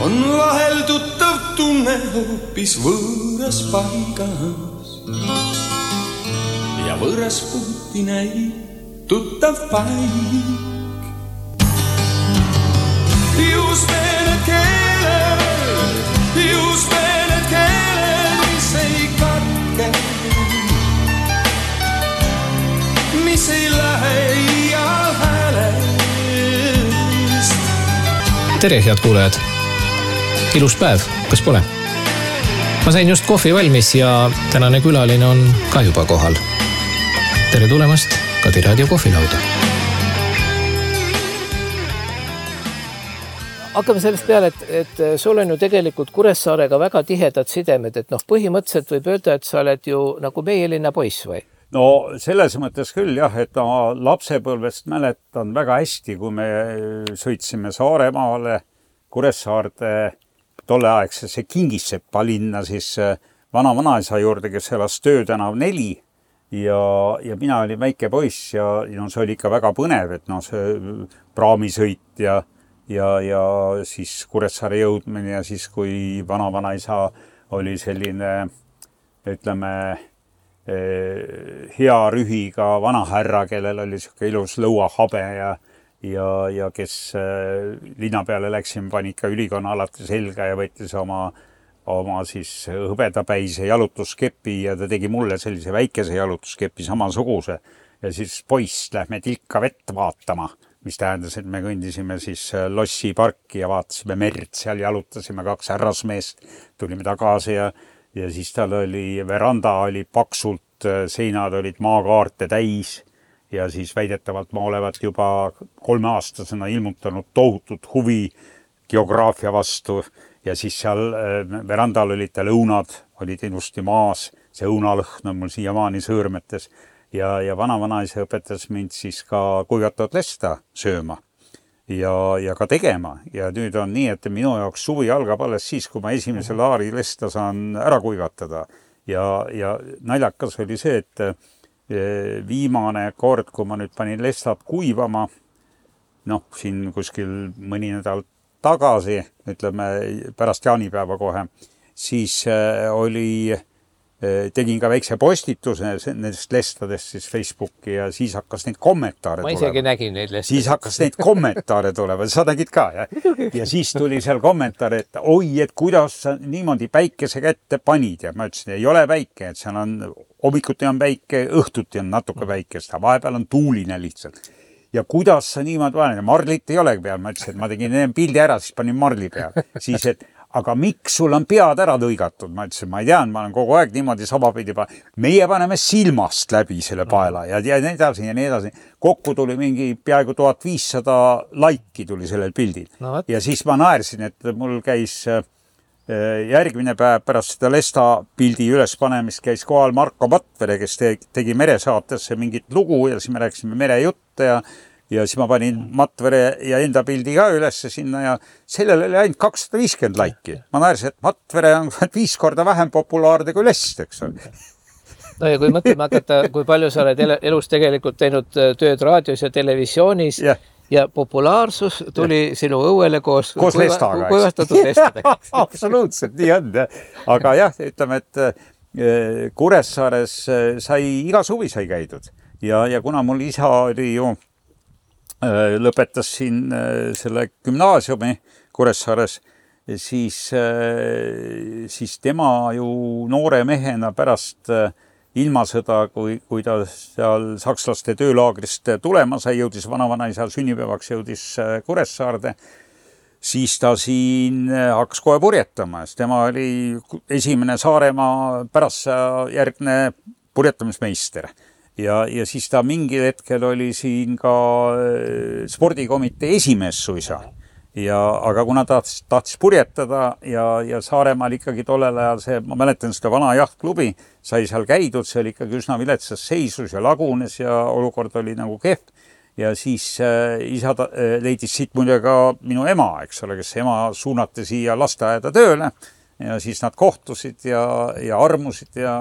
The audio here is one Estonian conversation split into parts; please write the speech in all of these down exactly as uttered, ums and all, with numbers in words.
on vahel tuttav tunne hoopis võõras paigas ja võõras puuti näib tuttav paik. Just need keeled, just need keeled, mis ei katke, mis ei lähe iial häälest. Tere, head kuulajad! Ilus päev, kas pole? Ma sain just kohvi valmis ja tänane külaline on ka juba kohal. Tere tulemast Kadi Raadio kohvilauda. Hakkame sellest peale, et, et sul on ju tegelikult Kuressaarega väga tihedad sidemed, et noh, põhimõtteliselt võib öelda, et sa oled ju nagu meie linna poiss või? No selles mõttes küll jah, et ma lapsepõlvest mäletan väga hästi, kui me sõitsime Saaremaale Kuressaarde tolleaegsesse Kingissepa linna, siis vana-vanaisa juurde, kes elas Töötänav neli ja, ja mina olin väike poiss ja no, see oli ikka väga põnev, et no, see praamisõit ja Ja, ja siis Kuressaare jõudmine ja siis, kui vana-vanaisa oli selline, ütleme, hea rühiga vanahärra, kellel oli siuke ilus lõuahabe ja, ja, ja kes linna peale läksime, pani ikka ülikonna alati selga ja võttis oma, oma siis hõbedapäise jalutuskepi ja ta tegi mulle sellise väikese jalutuskepi samasuguse. Ja siis poiss, lähme tilka vett vaatama. Mis tähendas, et me kõndisime siis Lossi parki ja vaatasime merd, seal jalutasime kaks härrasmeest, tulime tagasi ja, ja siis tal oli, veranda oli paksult, seinad olid maakaarte täis ja siis väidetavalt ma olevat juba kolmeaastasena ilmutanud tohutut huvi geograafia vastu ja siis seal verandal olid tal õunad, olid ilusti maas, see õunalõhn on mul siiamaani sõõrmetes. Ja, ja vana-vanaisa õpetas mind siis ka kuivatavat lesta sööma ja, ja ka tegema. Ja nüüd on nii, et minu jaoks suvi algab alles siis, kui ma esimese laari lesta saan ära kuivatada. Ja, ja naljakas oli see, et viimane kord, kui ma nüüd panin lestad kuivama, noh, siin kuskil mõni nädal tagasi, ütleme pärast jaanipäeva kohe, siis oli... tegin ka väikse postituse nendest lestadest siis Facebooki ja siis hakkas neid kommentaare tulema. Ma isegi nägin neid lestadest. Siis hakkas neid kommentaare tulema, sa nägid ka, jah? Ja siis tuli seal kommentaare, et oi, et kuidas sa niimoodi päikese kätte panid ja ma ütlesin, ei ole päike, et seal on, hommikuti on päike, õhtuti on natuke päikest, vahepeal on tuuline lihtsalt. Ja kuidas sa niimoodi paned, marlit ei olegi peal, ma ütlesin, et ma tegin pildi ära, siis panin marli peal. Siis, et aga miks sul on pead ära lõigatud? Ma ütlesin, ma ei tean, ma olen kogu aeg niimoodi sabapidi pa... Meie paneme silmast läbi selle paela ja, ja nii edasi ja nii edasi. Kokku tuli mingi peaaegu tuhat viissada laiki tuli sellel pildil. No, ja siis ma naersin, et mul käis järgmine päev pärast seda lesta pildi üles panemist käis kohal Marko Matvere, kes tegi meresaatesse mingit lugu ja siis me rääksime merejutte ja Ja siis ma panin Matvere ja enda pildi ka ülesse sinna ja sellele oli ainult kakssada viiskümmend laiki. Ma naersin, et Matvere on viis korda vähem populaarne kui lest, eks ole. No ja kui mõtlema hakata, kui palju sa oled elus tegelikult teinud tööd raadios ja televisioonis ja, ja populaarsus tuli ja. Sinu õuele koos, koos kuiva, lestaga, kuivastatud lestadega. Absoluutselt, nii on. Aga jah, ütleme, et Kuressaares sai, iga suvi sai käidud ja, ja kuna mul isa oli ju lõpetas siin selle gümnaasiumi Kuressaares, siis, siis tema ju noore mehena pärast ilmasõda, kui, kui ta seal sakslaste töölaagrist tulema sai, jõudis vanavanaisa sünnipäevaks, jõudis Kuressaarde, siis ta siin hakkas kohe purjetama. Tema oli esimene Saaremaa pärast järgne purjetamismeister. Ja, ja siis ta mingil hetkel oli siin ka spordikomitee esimees suisa. Ja, aga kuna ta tahtis purjetada ja, ja Saaremaal ikkagi tollel ajal see, ma mäletan seda vana jahtklubi, sai seal käidud, see oli ikkagi üsna viletsas seisus ja lagunes ja olukord oli nagu kehv. Ja siis äh, isa ta, äh, leidis siit muide ka minu ema, eks ole, kes ema suunati siia lasteaeda tööle ja siis nad kohtusid ja, ja armusid ja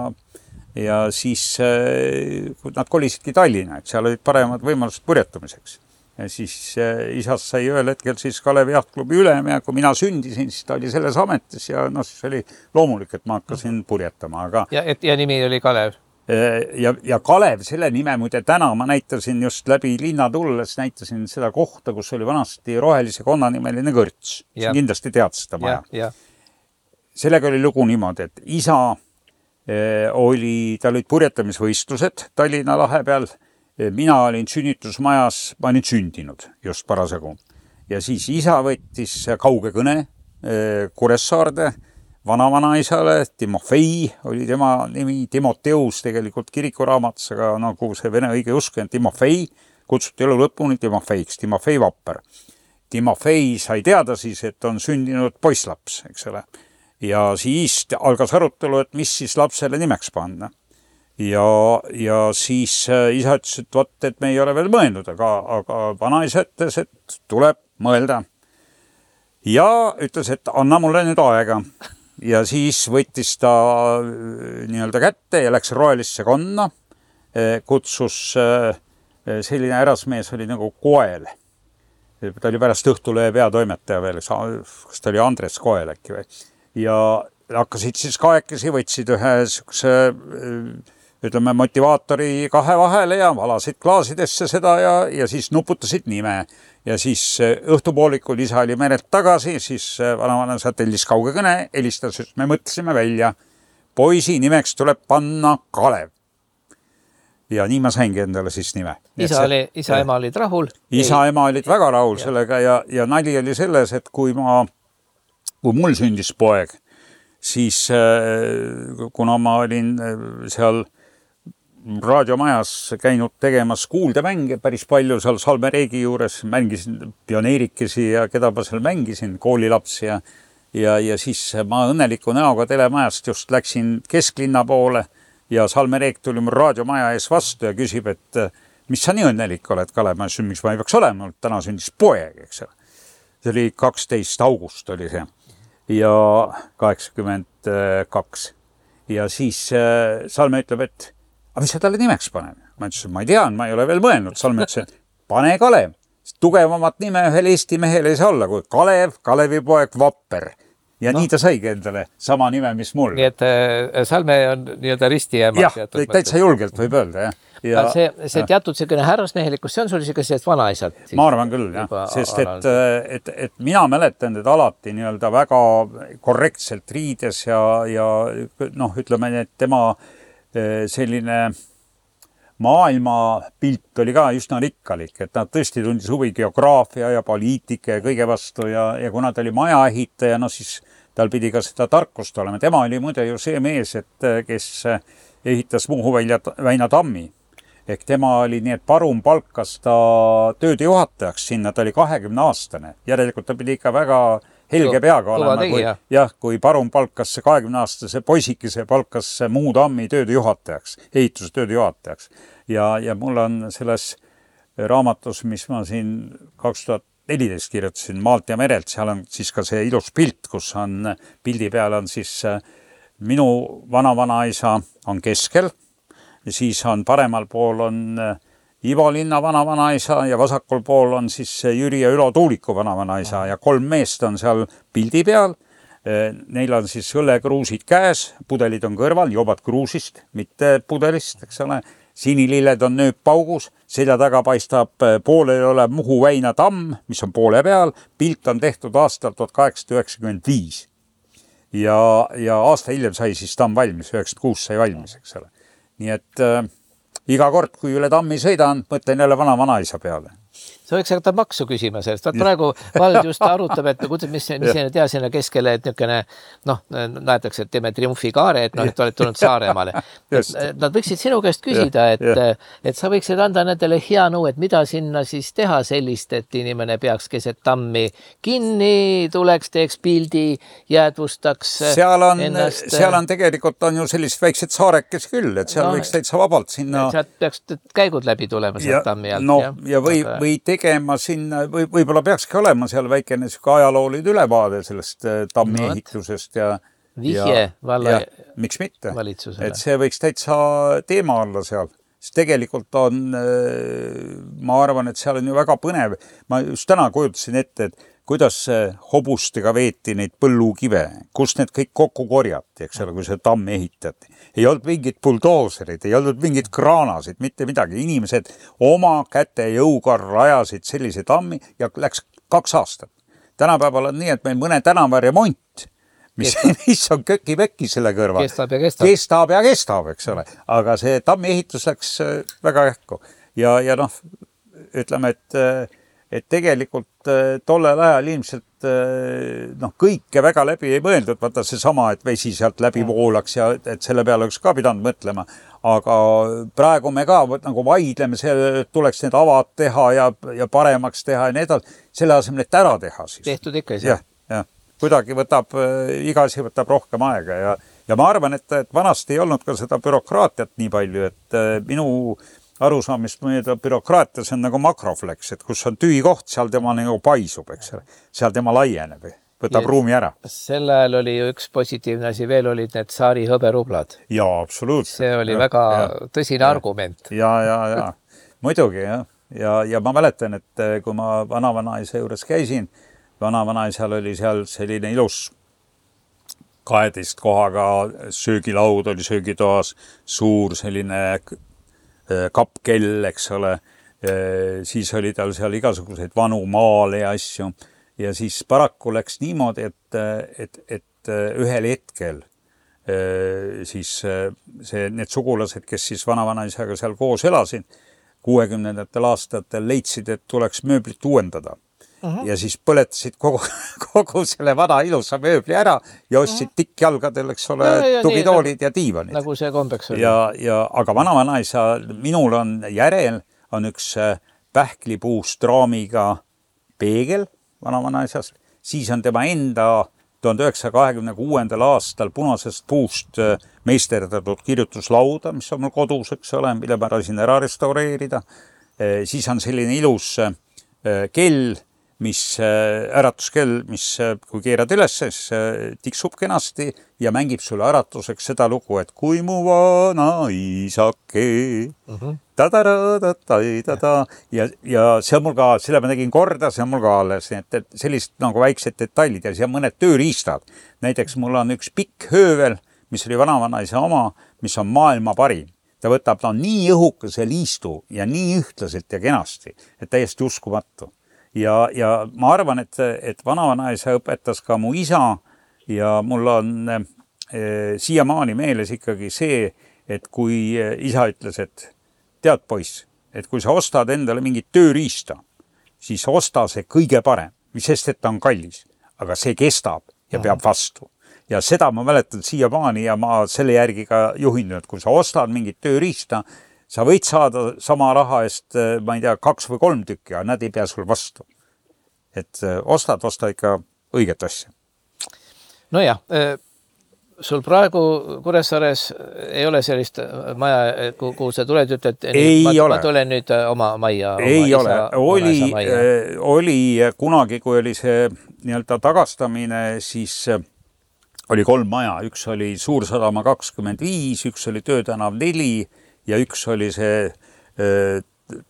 ja siis äh, nad kolisidki Tallinna, et seal olid paremad võimalused purjetamiseks. ja siis isast sai ühel hetkel siis Kalevi Jahtklubi ülem ja kui mina sündisin, siis ta oli selles ametis ja no siis oli loomulik, et ma hakkasin purjetama. Aga... Ja, et, ja nimi oli Kalev? Ja, ja Kalev, selle nime muide täna ma näitasin just läbi linna tulles, näitasin seda kohta, kus oli vanasti Rohelise konna nimeline kõrts. Ja. Kindlasti tead seda maja. Ja, ja. Sellega oli lugu niimoodi, et isa eh, oli, tal olid purjetamisvõistlused Tallinna lahe peal. Mina olin sünnitusmajas, ma olin sündinud just parasjagu. Ja siis isa võttis kauge kõne Kuressaarde vana-vanaisale, Timofei oli tema nimi, Timoteus tegelikult kirikuraamatus, aga nagu see vene õige usk on Timofei, kutsuti elu lõpuni Timofeiks, Timofei Vapper. Timofei sai teada siis, et on sündinud poisslaps, eks ole. Ja siis algas arutelu, et mis siis lapsele nimeks panna. Ja, ja siis isa ütles, et võt, et me ei ole veel mõelnud, aga, aga vanaisa ütles, et tuleb mõelda. Ja ütles, et anna mulle nüüd aega. Ja siis võttis ta nii-öelda kätte ja läks Rohelisse konna. Kutsus selline härrasmees oli nagu Koel. Ta oli pärast Õhtulehe peatoimetaja veel, kas ta oli Andres Koel äkki või. Ja hakkasid siis kahekesi, võtsid ühe sükse ütleme, motivaatori kahe vahele ja valasid klaasidesse seda ja, ja siis nuputasid nime. Ja siis õhtupoolikul isa oli merelt tagasi, siis vana-vana tellis kauge kõne, helistas, et me mõtlesime välja. Poisi nimeks tuleb panna Kalev. Ja nii ma saingi endale siis nime. Isa, oli, isa ja ema olid rahul? Isa ema olid väga rahul ja. Sellega ja, ja nali oli selles, et kui ma, kui mul sündis poeg, siis kuna ma olin seal raadiomajas käinud tegemas kuuldemänge päris palju seal Salme Reegi juures, mängisin pioneerikesi ja keda ma seal mängisin, koolilapsi ja, ja, ja siis ma õnneliku näoga telemajast just läksin kesklinna poole ja Salme Reeg tuli mul raadiomaja ees vastu ja küsib, et mis sa nii õnnelik oled, Kalev, ma ütlesin, miks ma ei peaks olema, täna sündis poeg, eks ole. See oli kaksteist august oli see ja kaheksakümmend kaks ja siis Salme ütleb, et aga mis sa talle nimeks paneb? Ma ütlesin, ma ei tean, ma ei ole veel mõelnud. Salme ütles, et pane Kalev. Tugevamat nime ühel Eesti mehel ei saa olla kui Kalev, Kalevi poeg Vapper. Ja no. Nii ta saigi endale sama nime, mis mul. Nii et äh, Salme on nii-öelda ristiema. Jah, täitsa julgelt võib öelda. Jah. Ja, see, see teatud selline härrasmehelikkus, see on sul isegi sellest vanaisalt. Ma arvan küll, jah. Sest et, et, et mina mäletan teda alati nii-öelda väga korrektselt riides ja, ja noh, ütleme, et tema selline maailmapilt oli ka üsna rikkalik, et nad tõesti tundis huvi geograafia ja poliitika ja kõige vastu ja, ja kuna ta oli maja ehitaja, no siis tal pidi ka seda tarkust olema. Tema oli muide ju see mees, et kes ehitas Muhu väina tammi. Ehk tema oli nii, et Parum palkas ta tööde juhatajaks sinna, ta oli kahekümne aastane. Järelikult ta pidi ikka väga helge peaga olema, kui, jah, kui Parum palkas kahekümne aastase poisikese palkas Muhu tammi tööde juhatajaks, ehituse tööde juhatajaks. Ja, ja mul on selles raamatus, mis ma siin kaks tuhat neliteist kirjutasin, Maalt ja merelt, seal on siis ka see ilus pilt, kus on, pildi peal on siis minu vana-vanaisa on keskel, ja siis on paremal pool on Ivo Linna vana-vanaisa ja vasakul pool on siis Jüri ja Ülo Tuuliku vana-vanaisa ja kolm meest on seal pildi peal. Neil on siis õllekruusid käes, pudelid on kõrval, jobad kruusist, mitte pudelist, eks ole. Sinililled on nööppaugus, selja taga paistab pooleli olev Muhu väina tamm, mis on poole peal. Pilt on tehtud aastal tuhat kaheksasada üheksakümmend viis. Ja, ja aasta hiljem sai siis tamm valmis, üheksakümmend kuus sai valmis, eks ole. Nii et äh, iga kord, kui üle tammi sõidan, mõtlen jälle vana-vanaisa peale. Sa võiks hakata maksu küsima sellest. Vaat praegu vald just arutab, et mis, mis see tea sinna keskele, et niisugune, noh, näetakse, et teeme triumfikaare, et, no, et oled tulnud Saaremaale. Nad võiksid sinu käest küsida, et, et sa võiksid anda nendele hea nõu, et mida sinna siis teha sellist, et inimene peaks keset tammi kinni, tuleks, teeks pildi, jäädvustaks seal on, ennast. Seal on tegelikult on ju sellised väiksed saarekes küll, et seal no, võiks täitsa vabalt sinna. Sealt peaks käigud läbi tulema sealt tammi alt. No, ja või, või tegema sinna, või, võib-olla peakski olema seal väikene süke ajaloolid ülevaade sellest tammi no, ehitusest ja vihje valla ja, miks mitte, valitsusele. Et see võiks täitsa teema olla seal. siis tegelikult on, ma arvan, et seal on ju väga põnev. Ma just täna kujutasin ette, et kuidas hobustega veeti neid põllukive, kus need kõik kokku korjati, eks ole, kui see tamm ehitati. Ei olnud mingid buldooserid, ei olnud mingid kraanasid, mitte midagi. Inimesed oma käte jõuga rajasid sellise tammi ja läks kaks aastat. Tänapäeval on nii, et meil mõne tänava remont, mis, mis on köki-vekki selle kõrval. Kestab ja kestab. Kestab ja kestab, eks ole. Aga see tammi ehitus läks väga ähku. Ja, ja noh, ütleme, et et tegelikult tollel ajal ilmselt noh, kõike väga läbi ei mõeldud, vaata see sama, et vesi sealt läbi voolaks ja et selle peale oleks ka pidanud mõtlema, aga praegu me ka nagu vaidleme, see tuleks need avad teha ja, ja paremaks teha ja need, selle asemel, et ära teha siis. Tehtud ikka jah, jah. Kuidagi võtab, iga asi võtab rohkem aega ja, ja ma arvan, et, et vanasti ei olnud ka seda bürokraatiat nii palju, et minu arusaamist mööda bürokraatias on nagu makroflex, et kus on tühi koht, seal tema nagu paisub, eks ole. Seal tema laieneb, võtab ja ruumi ära. Sel ajal oli ju üks positiivne asi, veel olid need saari hõberublad. Jaa, absoluutselt. See oli ja, väga ja, tõsine ja, argument. Ja, ja, ja. Muidugi, jah. Ja, ja ma mäletan, et kui ma vanavanaisa juures käisin, vanavanaisal oli seal selline ilus kaheteist kohaga söögilaud oli söögitoas, suur selline kappkell, eks ole, siis oli tal seal igasuguseid vanu maale ja asju ja siis paraku läks niimoodi, et, et, et ühel hetkel siis see, need sugulased, kes siis vanavanaisaga seal koos elasid, kuuekümnendatel aastatel leidsid, et tuleks mööblit uuendada. Uh-huh. Ja siis põletasid kogu, kogu selle vana ilusa mööbli ära ja ostsid uh-huh. tikkjalgadel, eks ole, ja, ja, tugitoolid nii, ja diivanid. Nagu see kombeks oli. Ja, ja, aga vanavanaisa, minul on järel, on üks pähklipuust raamiga peegel vanavanaisast, siis on tema enda tuhande üheksasaja kahekümne kuuendal aastal punasest puust meisterdatud kirjutuslauda, mis on mul kodus, eks ole, mille ma rasin ära restaureerida. Siis on selline ilus kell, mis äratuskell, mis kui keerad üles, siis tiksub kenasti ja mängib sulle äratuseks seda lugu, et kui mu vana isake uh-huh. ta-ta-ta-ta-ta ja, ja see on mul ka, selle ma tegin korda, see on mul ka alles, et sellist nagu väiksed detailid ja see on mõned tööriistad. Näiteks mul on üks pikk höövel, mis oli vanavanaisa oma, mis on maailma parim. Ta võtab, ta on nii õhukas ja liistu ja nii ühtlaselt ja kenasti, et täiesti uskumatu. Ja, ja ma arvan, et, et vanavanaisa õpetas ka mu isa ja mul on e, siiamaani meeles ikkagi see, et kui isa ütles, et tead poiss, et kui sa ostad endale mingit tööriista, siis osta see kõige parem, mis sest, et ta on kallis, aga see kestab ja peab vastu. Ja seda ma mäletan siiamaani ja ma selle järgi ka juhin, et kui sa ostad mingit tööriista, sa võid saada sama raha eest, ma ei tea, kaks või kolm tükki, aga nad ei pea sul vastu. Et ostad, osta ikka õiget asja. No jah, sul praegu Kuressaares ei ole sellist maja, kuhu sa tuled, ütled, ei ma, ole. ma tulen nüüd oma maja. Ei oma ole. Isa, oli, maja. oli kunagi, kui oli see nii-öelda tagastamine, siis oli kolm maja. Üks oli Suursadama kakskümmend viis, üks oli Töötänav neli ja üks oli see äh,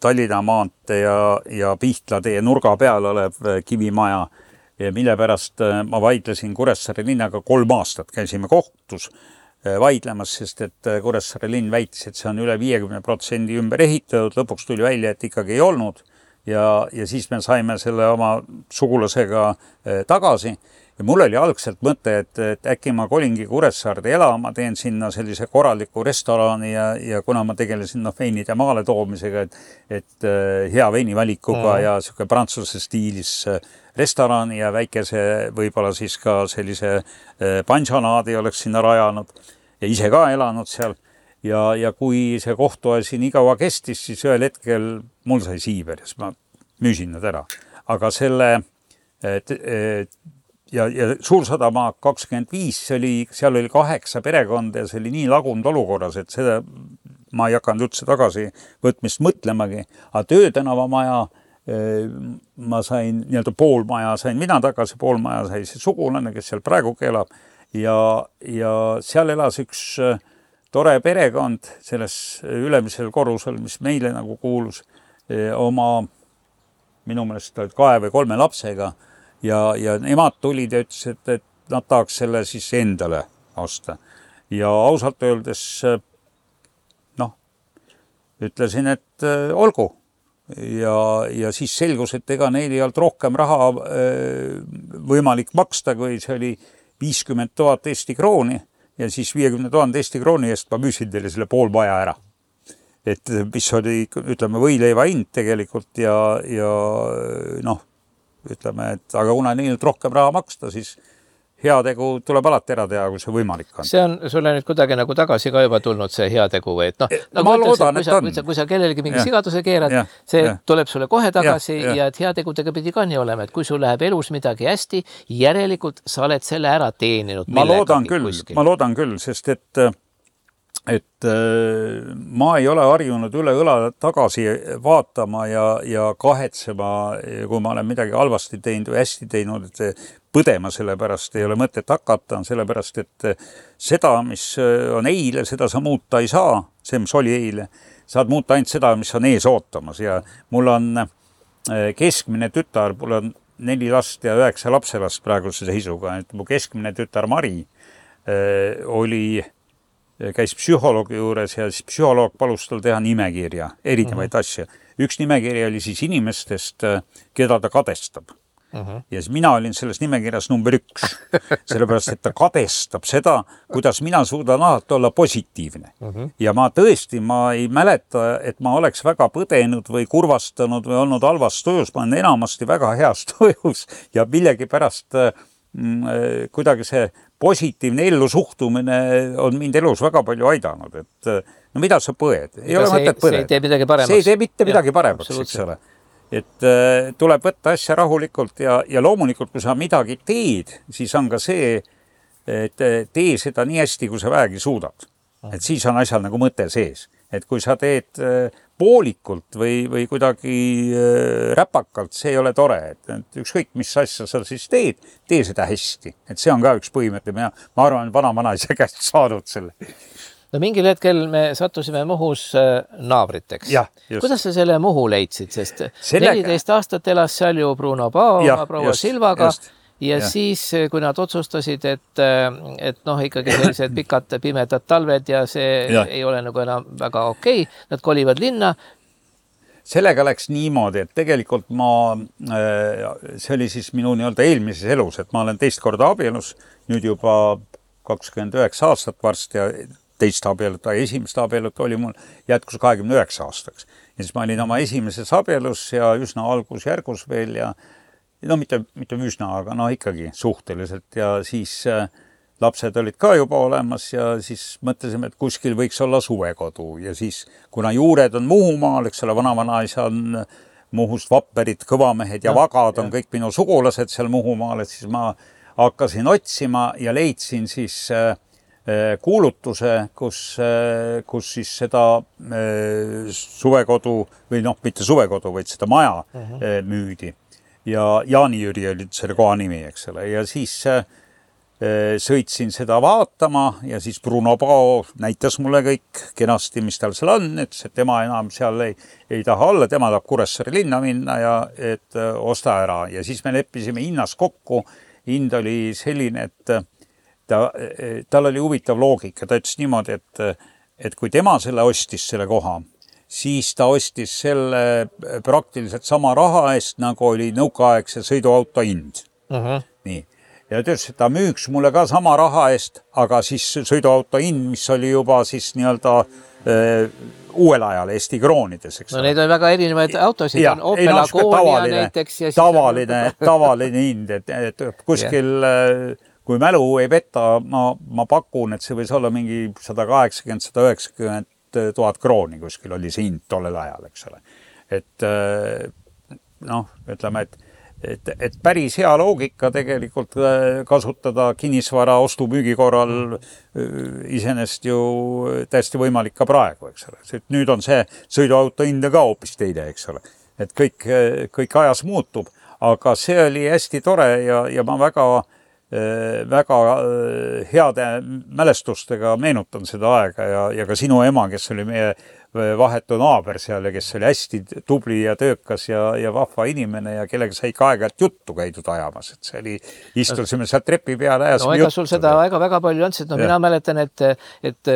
Tallinna maantee ja, ja Pihtlatee nurga peal olev kivimaja, mille pärast ma vaidlesin Kuressaare linnaga kolm aastat. Käisime kohtus vaidlemas, sest et Kuressaare linn väitis, et see on üle viiekümne protsendi ümber ehitatud. Lõpuks tuli välja, et ikkagi ei olnud. Ja, ja siis me saime selle oma sugulasega tagasi. Ja mul oli algselt mõte, et, et äkki ma kolingi Kuressaarde elama, teen sinna sellise korraliku restorani ja, ja kuna ma tegelesin no, veinide maale toomisega, et, et hea veinivalikuga mm. ja siuke prantsuse stiilis restorani ja väikese võib-olla siis ka sellise pansionaadi oleks sinna rajanud ja ise ka elanud seal. Ja, ja kui see kohtuasi nii kaua kestis, siis ühel hetkel mul sai siiber, siis ma müüsin nad ära. Aga selle et, et, ja, ja Suursadama kakskümmend viis, oli, seal oli kaheksa perekonda ja see oli nii lagunud olukorras, et seda ma ei hakanud üldse tagasi võtmist mõtlemagi. Aga Töötänava maja, ma sain nii-öelda pool maja, sain mina tagasi, pool maja sai see sugulane, kes seal praegu elab. Ja, ja seal elas üks tore perekond selles ülemisel korrusel, mis meile nagu kuulus oma, minu meelest olid kahe või kolme lapsega ja, ja nemad tulid ja ütlesid, et, et nad tahaks selle siis endale osta. Ja ausalt öeldes, noh, ütlesin, et äh, olgu. Ja, ja siis selgus, et ega neil ei olnud rohkem raha äh, võimalik maksta, kui see oli viiskümmend tuhat Eesti krooni ja siis viiekümne tuhande Eesti krooni eest ma müüsin teile selle pool maja ära. Et mis oli, ütleme, võileiva hind tegelikult ja, ja noh, ütleme, et aga kuna neil rohkem raha maksta, siis heategu tuleb alati ära teha, kui see võimalik on. See on sulle nüüd kuidagi nagu tagasi ka juba tulnud see heategu või, et noh, nagu ma loodan, et kui sa, kui sa, kui sa kellelegi mingi ja. sigaduse keerad, ja. see ja. tuleb sulle kohe tagasi ja, ja. ja et heategudega pidi ka nii olema, et kui sul läheb elus midagi hästi, järelikult sa oled selle ära teeninud. Ma loodan küll, kuskil. ma loodan küll, sest et et ma ei ole harjunud üle õla tagasi vaatama ja, ja kahetsema, kui ma olen midagi halvasti teinud või hästi teinud, et põdema sellepärast ei ole mõtet hakata, sellepärast et seda, mis on eile, seda sa muuta ei saa, see, mis oli eile, saad muuta ainult seda, mis on ees ootamas ja mul on keskmine tütar, mul on neli last ja üheksa lapselast praeguse seisuga, et mu keskmine tütar Mari oli käis psühholoogi juures ja siis psühholoog palus tal teha nimekirja, erinevaid uh-huh. asju. Üks nimekirja oli siis inimestest, keda ta kadestab. Uh-huh. Ja siis mina olin selles nimekirjas number üks, sellepärast, et ta kadestab seda, kuidas mina suudan alati olla positiivne. Uh-huh. Ja ma tõesti, ma ei mäleta, et ma oleks väga põdenud või kurvastanud või olnud halvas tujus, ma olen enamasti väga heas tujus ja millegi pärast mm, kuidagi see positiivne ellu suhtumine on mind elus väga palju aidanud, et no mida sa põed? Ei ole mõtet põed. See ei tee midagi paremaks. See ei tee mitte midagi paremaks, eks ole. Et uh, tuleb võtta asja rahulikult ja, ja loomulikult, kui sa midagi teed, siis on ka see, et tee seda nii hästi, kui sa väegi suudad. Et siis on asjal nagu mõte sees. Et kui sa teed poolikult või, või kuidagi räpakalt, see ei ole tore. Et, et ükskõik, mis asja sa siis teed, tee seda hästi. Et see on ka üks põhimõte. Ma, ma arvan, vana-vana ise käest saanud selle. No mingil hetkel me sattusime Muhus naabriteks. Ja, kuidas sa selle Muhu leidsid? Sest Sellega... neliteist aastat elas seal ju Bruno Pao ja, proua just, Silvaga. Just. Ja, ja siis, kui nad otsustasid, et, et noh, ikkagi sellised pikad pimedad talved ja see ja. ei ole nagu enam väga okei, nad kolivad linna. Sellega läks niimoodi, et tegelikult ma, see oli siis minu nii-öelda eelmises elus, et ma olen teist korda abielus, nüüd juba kakskümmend üheksa aastat varsti ja teist abielut, esimest abielut oli mul jätkus kahekümne üheksa aastaks. Ja siis ma olin oma esimeses abielus ja üsna algusjärgus veel ja no mitte, mitte üsna, aga no ikkagi suhteliselt ja siis äh, lapsed olid ka juba olemas ja siis mõtlesime, et kuskil võiks olla suvekodu ja siis kuna juured on Muhumaal, eks ole, vana-vanaisa on Muhust Vapperid, Kõvamehed ja no, Vagad on ja. kõik minu sugulased seal Muhumaal, et siis ma hakkasin otsima ja leidsin siis äh, kuulutuse, kus, äh, kus siis seda äh, suvekodu või noh, mitte suvekodu, vaid seda maja uh-huh. äh, müüdi. Ja Jaani-Jüri oli selle koha nimi, eks ole. Ja siis äh, sõitsin seda vaatama ja siis Bruno Pao näitas mulle kõik kenasti, mis tal seal on, et tema enam seal ei, ei taha olla, tema tahab Kuressaare linna minna ja et äh, osta ära. Ja siis me leppisime hinnas kokku. Hind oli selline, et ta, tal oli huvitav loogika. Ta ütles niimoodi, et, et kui tema selle ostis selle koha, siis ta ostis selle praktiliselt sama raha eest, nagu oli nõukaaegse sõiduauto hind. Uh-huh. Nii. Ja ta ütles, et ta müüks mulle ka sama raha eest, aga siis sõiduauto hind, mis oli juba siis nii-öelda äh, uuel ajal Eesti kroonides. Eks no neid on väga erinevaid autosid. Ja, on Opel Agonia näiteks. Ja tavaline, tavaline hind, et, et kuskil, yeah. kui mälu ei peta, ma, ma pakun, et see võis olla mingi sada kaheksakümmend, sada üheksakümmend tuhat krooni kuskil oli see hind tollel ajal, eks ole. Et noh, ütleme, et, et, et päris hea loogika tegelikult kasutada kinnisvara ostu-müügi korral iseenesest ju täiesti võimalik ka praegu, eks ole. Nüüd on see sõiduauto hind ka hoopis teine, eks ole. Et kõik, kõik ajas muutub, aga see oli hästi tore ja, ja ma väga väga heade mälestustega meenutan seda aega ja, ja ka sinu ema, kes oli meie vahetu naaber seal ja kes oli hästi tubli ja töökas ja, ja vahva inimene ja kellega sai ka aeg-ajalt juttu käidud ajamas, et see oli, istusime sealt trepi peale ja no, ega sul seda väga-väga palju on, sest no, mina mäletan, et, et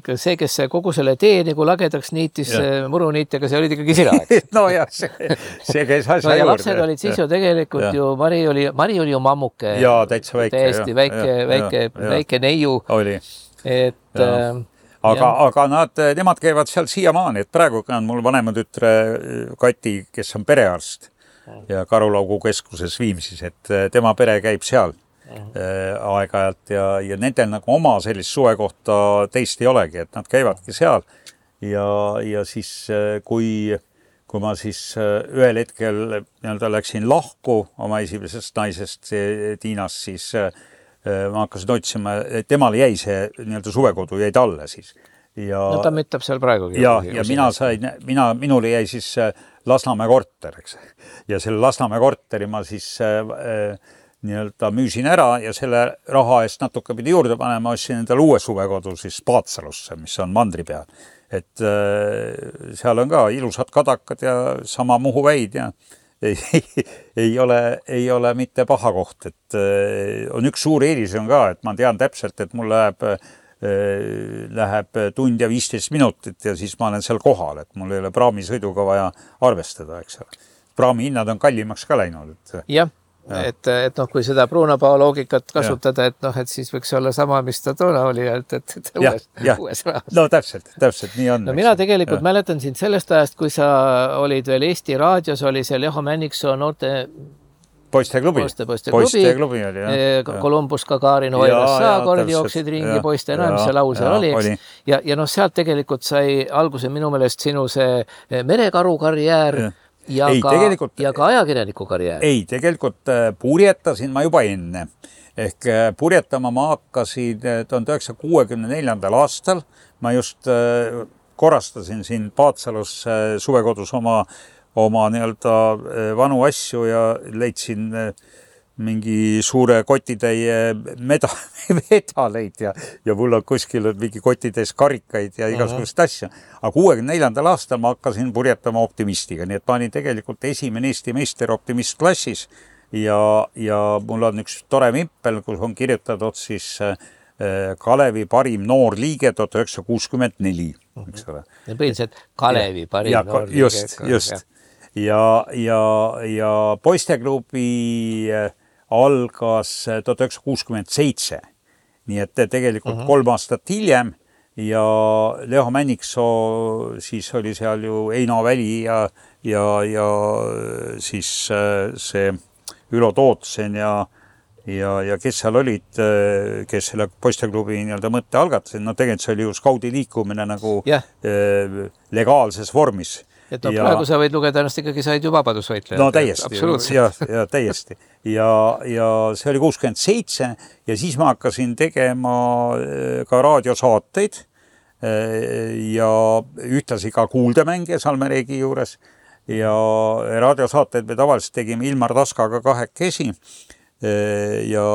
ikka see, kes kogu selle tee nagu lagedaks niitis muruniitega, see olid ikkagi sina, eks? no jah, see, see käis asja no, ja juurde. Lapsed olid siis ju tegelikult ja. ju, Mari oli, Mari oli ju mammuke. Jaa, täitsa väike. Täiesti väike, ja, väike, ja, väike neiu. Oli. Et... Ja. Aga, aga nad, nemad käivad seal siiamaani, et praegu on mul vanema tütre Kati, kes on perearst ja Karulaugu keskuses Viimsis, et tema pere käib seal aeg-ajalt ja, ja nendel nagu oma sellist suvekohta teist ei olegi, et nad käivadki seal ja, ja siis kui, kui ma siis ühel hetkel nii-öelda läksin lahku oma esimesest naisest Tiinast, siis ma hakkasin otsima, temal jäi see nii-öelda suvekodu, jäi talle siis. Ja, no ta müttab seal praegugi. Ja, ja mina sain, mina, minule jäi siis Lasnamäe korter, eks. Ja selle Lasnamäe korteri ma siis äh, nii-öelda müüsin ära ja selle raha eest natuke pidi juurde panema, ostsin endale uue suvekodu siis Paatsalusse, mis on mandri peal. Et äh, seal on ka ilusad kadakad ja sama Muhu väid ja Ei, ei, ole, ei ole mitte paha koht, et on üks suur eelis on ka, et ma tean täpselt, et mul läheb, läheb tund ja viisteist minutit ja siis ma olen seal kohal, et mul ei ole praamisõiduga vaja arvestada, eks ole. Praami hinnad on kallimaks ka läinud. Et... jah, ja. et, et noh, kui seda Brunapao loogikat kasutada, et noh, et siis võiks olla sama, mis ta toona oli, et, et, et ja, uues, ja. uues rahas. No täpselt, täpselt, nii on. No mina tegelikult ja. mäletan sind sellest ajast, kui sa olid veel Eesti raadios, oli see Leho Männiksoo noorte poisteklubi. Poiste, poisteklubi. Poisteklubi oli, jah. Kolumbus, Gagarin, Oiras Saakord jooksid ringi poiste, no mis see laul seal oli, eks. Ja, ja noh, sealt tegelikult sai alguse minu meelest sinu see merekaru karjäär ja. Ja, ei, ka, ja ka ajakirjaniku karjäär. Ei, tegelikult purjetasin ma juba enne. Ehk purjetama ma hakkasin tuhande üheksasaja kuuekümne neljandal aastal. Ma just korrastasin siin Paatsalus suvekodus oma, oma nii-öelda vanu asju ja leidsin mingi suure kotitäie meda, medaleid ja, ja mul on kuskil mingi kotitäis karikaid ja igasugust asja. Aga kuuekümne neljandal aastal ma hakkasin purjetama Optimistiga, nii et ma olin tegelikult esimene Eesti meister Optimist klassis ja, ja mul on üks tore mimpel, kus on kirjutatud siis Kalevi parim noor liige tuhat üheksasada kuuskümmend neli, eks ole. Ja põhiliselt Kalevi parim ja, noor liige. Just, just. Ja, ja, ja poisteklubi algas tuhat üheksasada kuuskümmend seitse. Nii et tegelikult uh-huh. kolm aastat hiljem ja Leho Männiksoo siis oli seal ju Eino Väli ja, ja, ja siis see Ülo Tootsen ja, ja, ja kes seal olid, kes selle poisteklubi nii-öelda mõtte algatasid. No tegelikult see oli ju skaudi liikumine nagu yeah. legaalses vormis. Et no ja, praegu sa võid lugeda ennast ikkagi said ju vabadusvõitleja. No täiesti, ja, ja täiesti. Ja, ja see oli kuuskümmend seitse ja siis ma hakkasin tegema ka raadiosaateid ja ühtlasi ka kuuldemänge Salmereegi juures ja raadiosaateid me tavaliselt tegime Ilmar Taskaga kahekesi ja,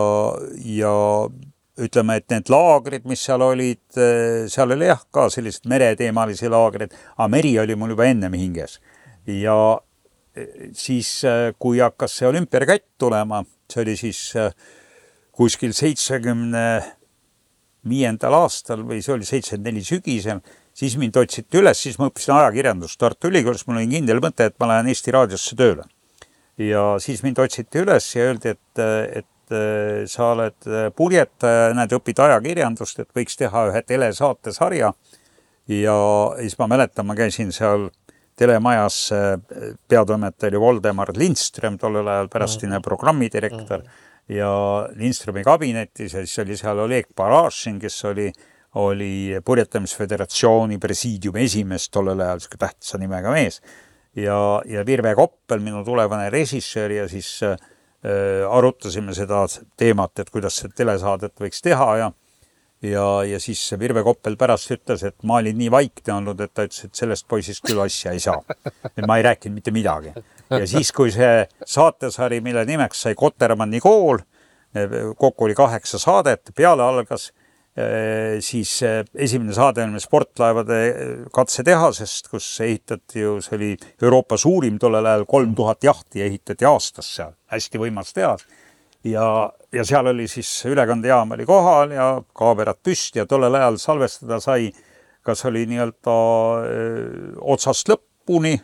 ja ütleme, et need laagrid, mis seal olid, seal oli jah ka sellised mereteemalisi laagrid, aga meri oli mul juba ennem hinges. Ja siis, kui hakkas see olümpiakätt tulema, see oli siis kuskil seitsekümne viiendal aastal või see oli seitsekümmend neli sügisel, siis mind otsiti üles, siis ma õppisin ajakirjandust Tartu Ülikoolis, mul oli kindel mõte, et ma lähen Eesti raadiosse tööle. Ja siis mind otsiti üles ja öeldi, et, et sa oled purjetaja, näed, õpid ajakirjandust, et võiks teha ühe telesaatesarja ja siis ma mäletan, ma käisin seal telemajas, peatoimetaja oli Voldemar Lindström, tollel ajal pärastine programmidirektor ja Lindströmi kabinetis ja siis oli seal Oleg Parašin, kes oli, oli Purjetamisföderatsiooni presiidiumi esimees tollel ajal, tähtsa nimega mees ja, ja Virve Koppel, minu tulevane režissöör ja siis arutasime seda teemat, et kuidas see telesaadet võiks teha ja, ja, ja siis Virve Koppel pärast ütles, et ma olin nii vaikne olnud, et ta ütles, et sellest poisist küll asja ei saa. Et ma ei rääkinud mitte midagi. Ja siis, kui see saatesari, mille nimeks sai Kotermanni kool, kokku oli kaheksa saadet, peale algas siis esimene saade on sportlaevade katsetehasest, kus ehitati ju, see oli Euroopa suurim tollel ajal, kolm tuhat jahti ehitati aastas seal, hästi võimas tehas. Ja, ja seal oli siis ülekandejaam oli kohal ja kaamerad püsti ja tollel ajal salvestada sai, kas oli nii-öelda otsast lõppuni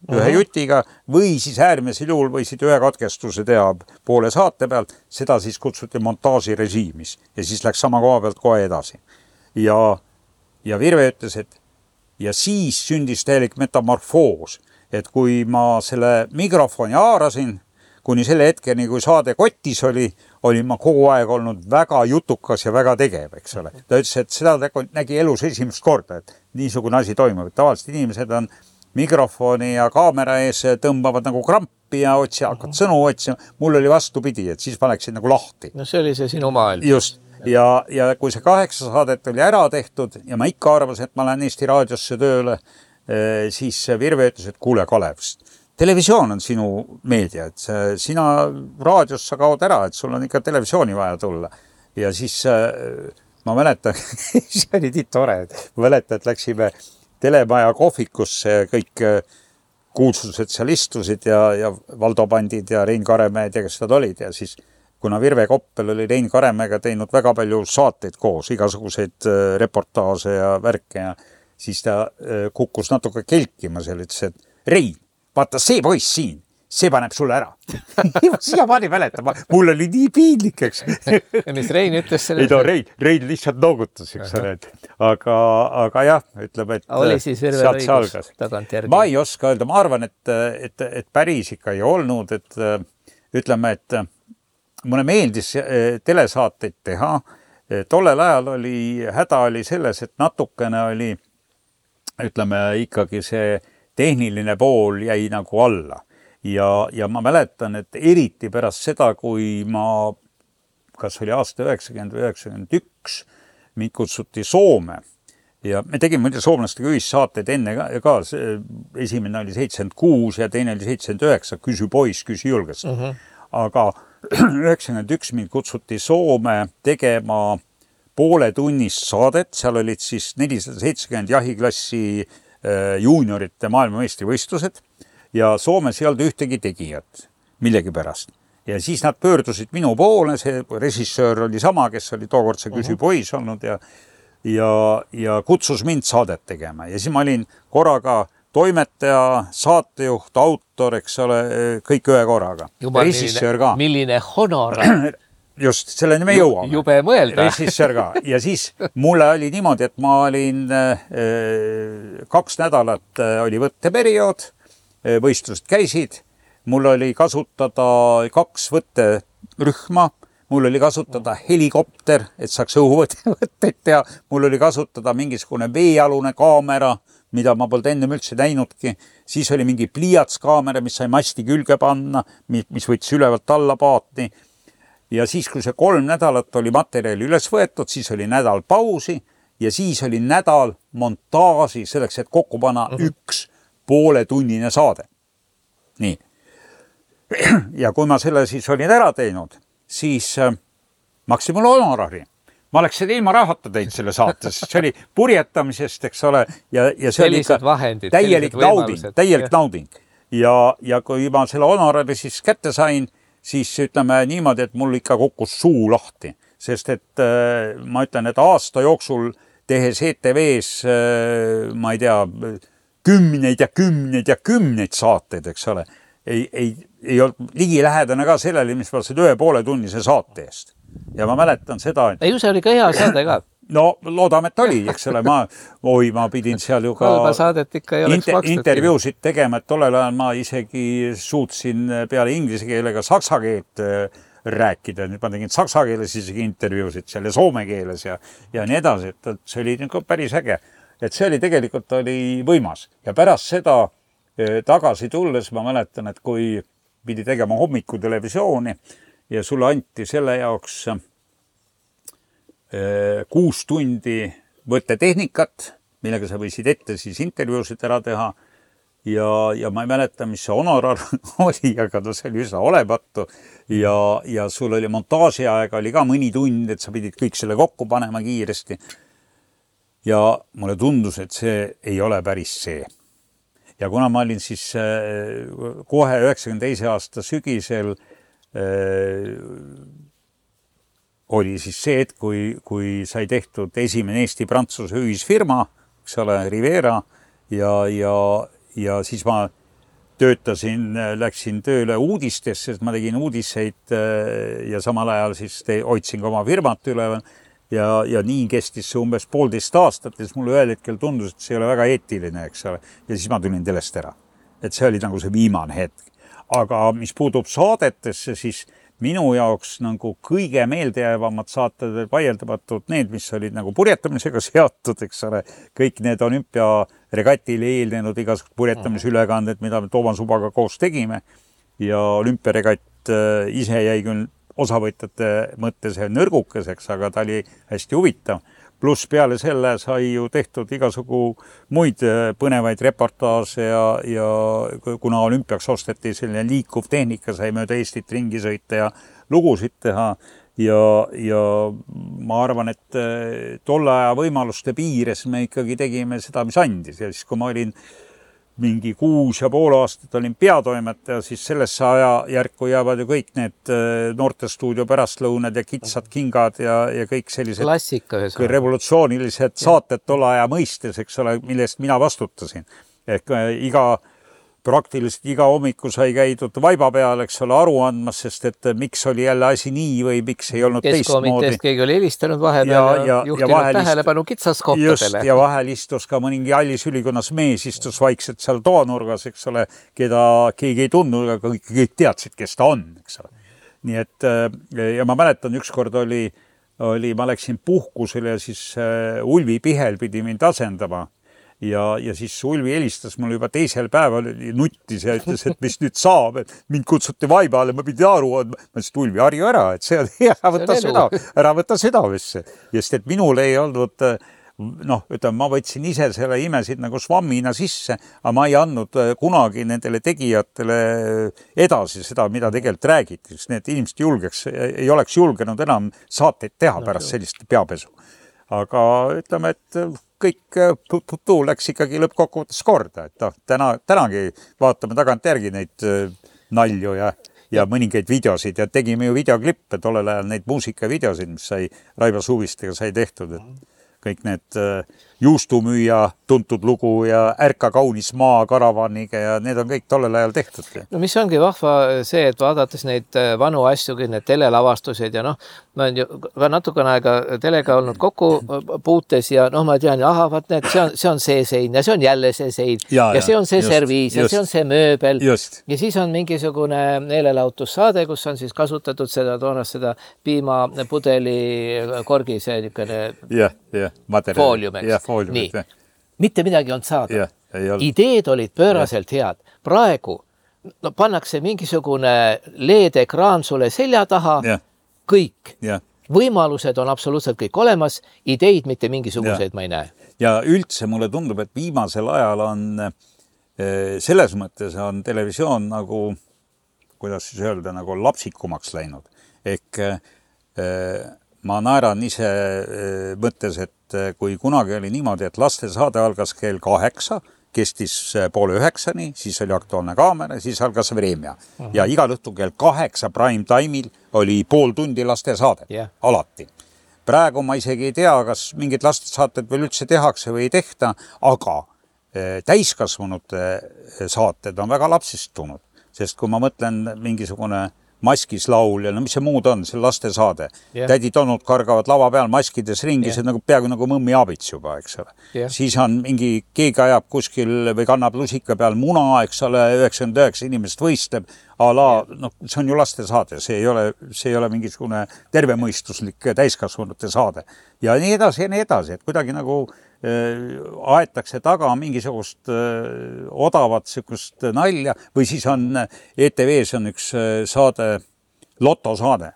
ühe jutiga või siis äärmisel juhul võisid ühe katkestuse teha poole saate pealt, seda siis kutsuti montaaži režiimis ja siis läks sama koha pealt kohe edasi. Ja, ja Virve ütles, et ja siis sündis täielik metamorfoos, et kui ma selle mikrofoni haarasin, kuni selle hetkeni, kui saade kotis oli, oli ma kogu aeg olnud väga jutukas ja väga tegev, eks ole. Ta ütles, et seda nägi elus esimest korda, et niisugune asi toimub. Tavaliselt inimesed on mikrofoni ja kaamera ees tõmbavad nagu krampi ja otsi, hakkad sõnu otsima. Mul oli vastupidi, et siis ma läksin nagu lahti. No see oli see sinu maailm. Just. Ja, ja kui see kaheksa saadet oli ära tehtud ja ma ikka arvasin, et ma lähen Eesti raadiosse tööle, siis Virve ütles, et kuule Kalev, televisioon on sinu meedia, et sina raadios sa kaod ära, et sul on ikka televisiooni vaja tulla. Ja siis ma mäletan, see oli nii tore, ma mäletan, et läksime telemaja kohvikusse ja kõik kuulsused seal istusid ja, ja Valdo Pandid ja Rein Karemäed ja kes nad olid ja siis kuna Virve Koppel oli Rein Karemäega teinud väga palju saateid koos, igasuguseid reportaaže ja värke ja siis ta kukkus natuke kelkima seal, ütles, et Rein, vaata see poiss siin, see paneb sulle ära. Siia pani mäletab, mul oli nii piinlik, eks. Ja mis Rein ütles selle? Ei, no, Rein, Rein lihtsalt noogutas, eks ole. Aga, aga jah, ütleb, et oli siis Virve õigus tagant järgi? Ma ei oska öelda, ma arvan, et, et, et päris ikka ei olnud, et ütleme, et mulle meeldis telesaateid teha. Tollel ajal oli, häda oli selles, et natukene oli, ütleme, ikkagi see tehniline pool jäi nagu alla. Ja, ja ma mäletan, et eriti pärast seda, kui ma, kas oli aasta üheksakümmend üheksakümmend üks, mind kutsuti Soome ja me tegime muide soomlastega ühissaateid enne ka, ka esimene oli seitsekümmend kuus ja teine oli seitsekümmend üheksa, küsi poiss, küsi julgest. Uh-huh. Aga üheksakümmend üks mind kutsuti Soome tegema poole tunnist saadet, seal olid siis nelisada seitsekümmend jahiklassi juuniorite maailmameistrivõistlused ja Soomes ei olnud ühtegi tegijat millegi pärast. Ja siis nad pöördusid minu poole, see režissöör oli sama, kes oli tookord see küsi poiss olnud ja, ja, ja kutsus mind saadet tegema. Ja siis ma olin korraga toimetaja, saatejuht, autor, eks ole, kõik ühe korraga. Juba režissöör ka. Milline honorar. Just, selleni me jõuame. Jube mõelda. Režissöör ka. Ja siis mulle oli niimoodi, et ma olin kaks nädalat oli võtteperiood, võistlused käisid, mul oli kasutada kaks võtterühma, mul oli kasutada helikopter, et saaks õhuvõtteid teha, mul oli kasutada mingisugune veealune kaamera, mida ma polnud enne üldse näinudki, siis oli mingi pliiatskaamera, mis sai masti külge panna, mis võttis ülevalt alla paatni ja siis, kui see kolm nädalat oli materjali üles võetud, siis oli nädal pausi ja siis oli nädal montaaži selleks, et kokku panna uh-huh. üks poole tunnine saade. Nii. Ja kui ma selle siis olin ära teinud, siis äh, maksin mulle honorari. Ma oleks seda ilma rahata teinud selle saates. See oli purjetamisest, eks ole, ja, ja see oli vahendid, täielik nauding. Täielik nauding. Ja, ja kui ma selle honorari siis kätte sain, siis ütleme niimoodi, et mul ikka kukkus suu lahti. Sest et äh, ma ütlen, et aasta jooksul tehes E T V-s, äh, ma ei tea, kümneid ja kümneid ja kümneid saateid, eks ole, ei, ei, ei olnud ligi lähedane ka sellele, mis ma ühe poole tunnise saate eest. Ja ma mäletan seda, et... Ei, see oli ka hea saade ka. No, loodame, et oli, eks ole, ma, oi, ma pidin seal ju ka... Halba saadet ikka ei oleks inter, makstud. Intervjuusid tegema, et tollel ajal ma isegi suutsin peale inglise keelega saksa keelt rääkida. Nüüd ma tegin saksa keeles isegi intervjuusid seal ja soome keeles ja, ja nii edasi, et see oli päris äge. Et see oli tegelikult oli võimas. Ja pärast seda tagasi tulles ma mäletan, et kui pidi tegema hommiku televisiooni ja sulle anti selle jaoks kuus tundi võttetehnikat, millega sa võisid ette siis intervjuusid ära teha ja, ja ma ei mäleta, mis see honorar oli, aga no see oli üsna olematu ja, ja sul oli montaaži aega oli ka mõni tund, et sa pidid kõik selle kokku panema kiiresti. Ja mulle tundus, et see ei ole päris see. Ja kuna ma olin siis kohe üheksakümne teise aasta sügisel äh, oli siis see, et kui, kui sai tehtud esimene Eesti-Prantsuse ühisfirma, eks ole, Rivera, ja, ja, ja siis ma töötasin, läksin tööle uudistesse, sest ma tegin uudiseid ja samal ajal siis te, hoidsin ka oma firmat üleval ja, ja nii kestis see umbes poolteist aastat, ja siis mulle ühel hetkel tundus, et see ei ole väga eetiline, eks ole, ja siis ma tulin telest ära. Et see oli nagu see viimane hetk. Aga mis puudub saadetesse, siis minu jaoks nagu kõige meeldejäävamad saated vaieldamatult need, mis olid nagu purjetamisega seotud, eks ole, kõik need olümpiaregatile eelnenud igasugused purjetamisülekanded, mida me Toomas Ubaga koos tegime ja olümpiaregatt ise jäi küll osavõtjate mõttes nõrgukeseks, aga ta oli hästi huvitav. Pluss peale selle sai ju tehtud igasugu muid põnevaid reportaaže ja, ja kuna olümpiaks osteti selline liikuv tehnika, sai mööda Eestit ringi sõita ja lugusid teha ja, ja ma arvan, et tolle aja võimaluste piires me ikkagi tegime seda, mis andis. Ja siis, kui ma olin mingi kuus ja pool aastat olin peatoimetaja, siis sellesse aja järku jäävad ju kõik need noortestuudio pärastlõunad ja kitsad kingad ja, ja kõik sellised klassika, revolutsioonilised saated tolle aja mõistes, eks ole, millest mina vastutasin. Ehk iga, praktiliselt iga hommiku sai käidud vaiba peal, eks ole, aru andmas, sest et miks oli jälle asi nii või miks ei olnud teistmoodi. Keskkomiteest keegi oli helistanud vahepeal ja, ja, ja juhtinud ja tähelepanu kitsaskohtadele. Just, ja vahel istus ka mõningi hallis ülikonnas mees, istus vaikselt seal toanurgas, eks ole, keda keegi ei tundnud, aga kõik, kõik teadsid, kes ta on, eks ole. Nii et, ja ma mäletan, ükskord oli, oli, ma läksin puhkusele ja siis Ulvi Pihel pidi mind asendama. Ja, ja siis Ulvi helistas mulle juba teisel päeval nuttis ja ütles, et mis nüüd saab, et mind kutsuti vaibale, ma pidi aru andma. Ma ütlesin, Ulvi, harju ära, et see on hea, võtta seda, ära võtta südamesse. Just, et minul ei olnud, noh, ütleme, ma võtsin ise selle imesid nagu svammina sisse, aga ma ei andnud kunagi nendele tegijatele edasi seda, mida tegelikult räägiti. Need inimesed julgeks, ei oleks julgenud enam saateid teha pärast sellist peapesu. Aga ütleme, et kõik putu läks ikkagi lõppkokkuvõttes korda, et noh, täna, tänagi vaatame tagant järgi neid nalju ja, ja mõningaid videosid ja tegime ju videoklippe tollel ajal neid muusikavideosid, mis sai Raivo Suvistega sai tehtud, et kõik need juustumüüja tuntud lugu ja Ärka kaunis maa karavaniga ja need on kõik tollel ajal tehtud. No mis ongi vahva see, et vaadates neid vanu asju, kõik need telelavastused ja noh, ma olen ju ka natukene aega telega olnud kokku puutes ja noh, ma tean, aha, vaat need, see on, see on see sein ja see on jälle see sein ja, ja see on see just, serviis ja just, see on see mööbel just. Ja siis on mingisugune meelelahutussaade, kus on siis kasutatud seda toonast seda piimapudeli korgi, see niisugune yeah, yeah. foolium, eks. Yeah, foolium, nii, yeah. Mitte midagi on saada. Yeah, ideed olid pööraselt yeah. head. Praegu no, pannakse mingisugune leedekraan sulle selja taha, yeah. kõik. Yeah. Võimalused on absoluutselt kõik olemas, ideid mitte mingisuguseid yeah. ma ei näe. Ja üldse mulle tundub, et viimasel ajal on selles mõttes on televisioon nagu, kuidas siis öelda, nagu lapsikumaks läinud. Ehk ma naeran ise mõttes, et kui kunagi oli niimoodi, et lastesaade algas kell kaheksa, kestis poole üheksani, siis oli Aktuaalne kaamera, siis algas Vremja. Uh-huh. Ja igal õhtul kell kaheksa prime time'il oli pool tundi lastesaadet, yeah. alati. Praegu ma isegi ei tea, kas mingid lastesaated veel üldse tehakse või ei tehta, aga täiskasvanute saated on väga lapsistunud, sest kui ma mõtlen mingisugune maskis laul ja no mis see muud on, see lastesaade. Yeah. Tädid olnud kargavad lava peal maskides ringi, yeah. see nagu peaaegu nagu mõmmi abits juba, eks ole. Yeah. Siis on mingi, keegi ajab kuskil või kannab lusika peal muna, eks ole, üheksakümmend üheksa inimest võistleb, a la, yeah. noh, see on ju lastesaade, see ei ole, see ei ole mingisugune tervemõistuslik täiskasvanute saade. Ja nii edasi ja nii edasi, et kuidagi nagu aetakse taga mingisugust odavat sükust nalja või siis on E T V-s on üks saade, lotosaade.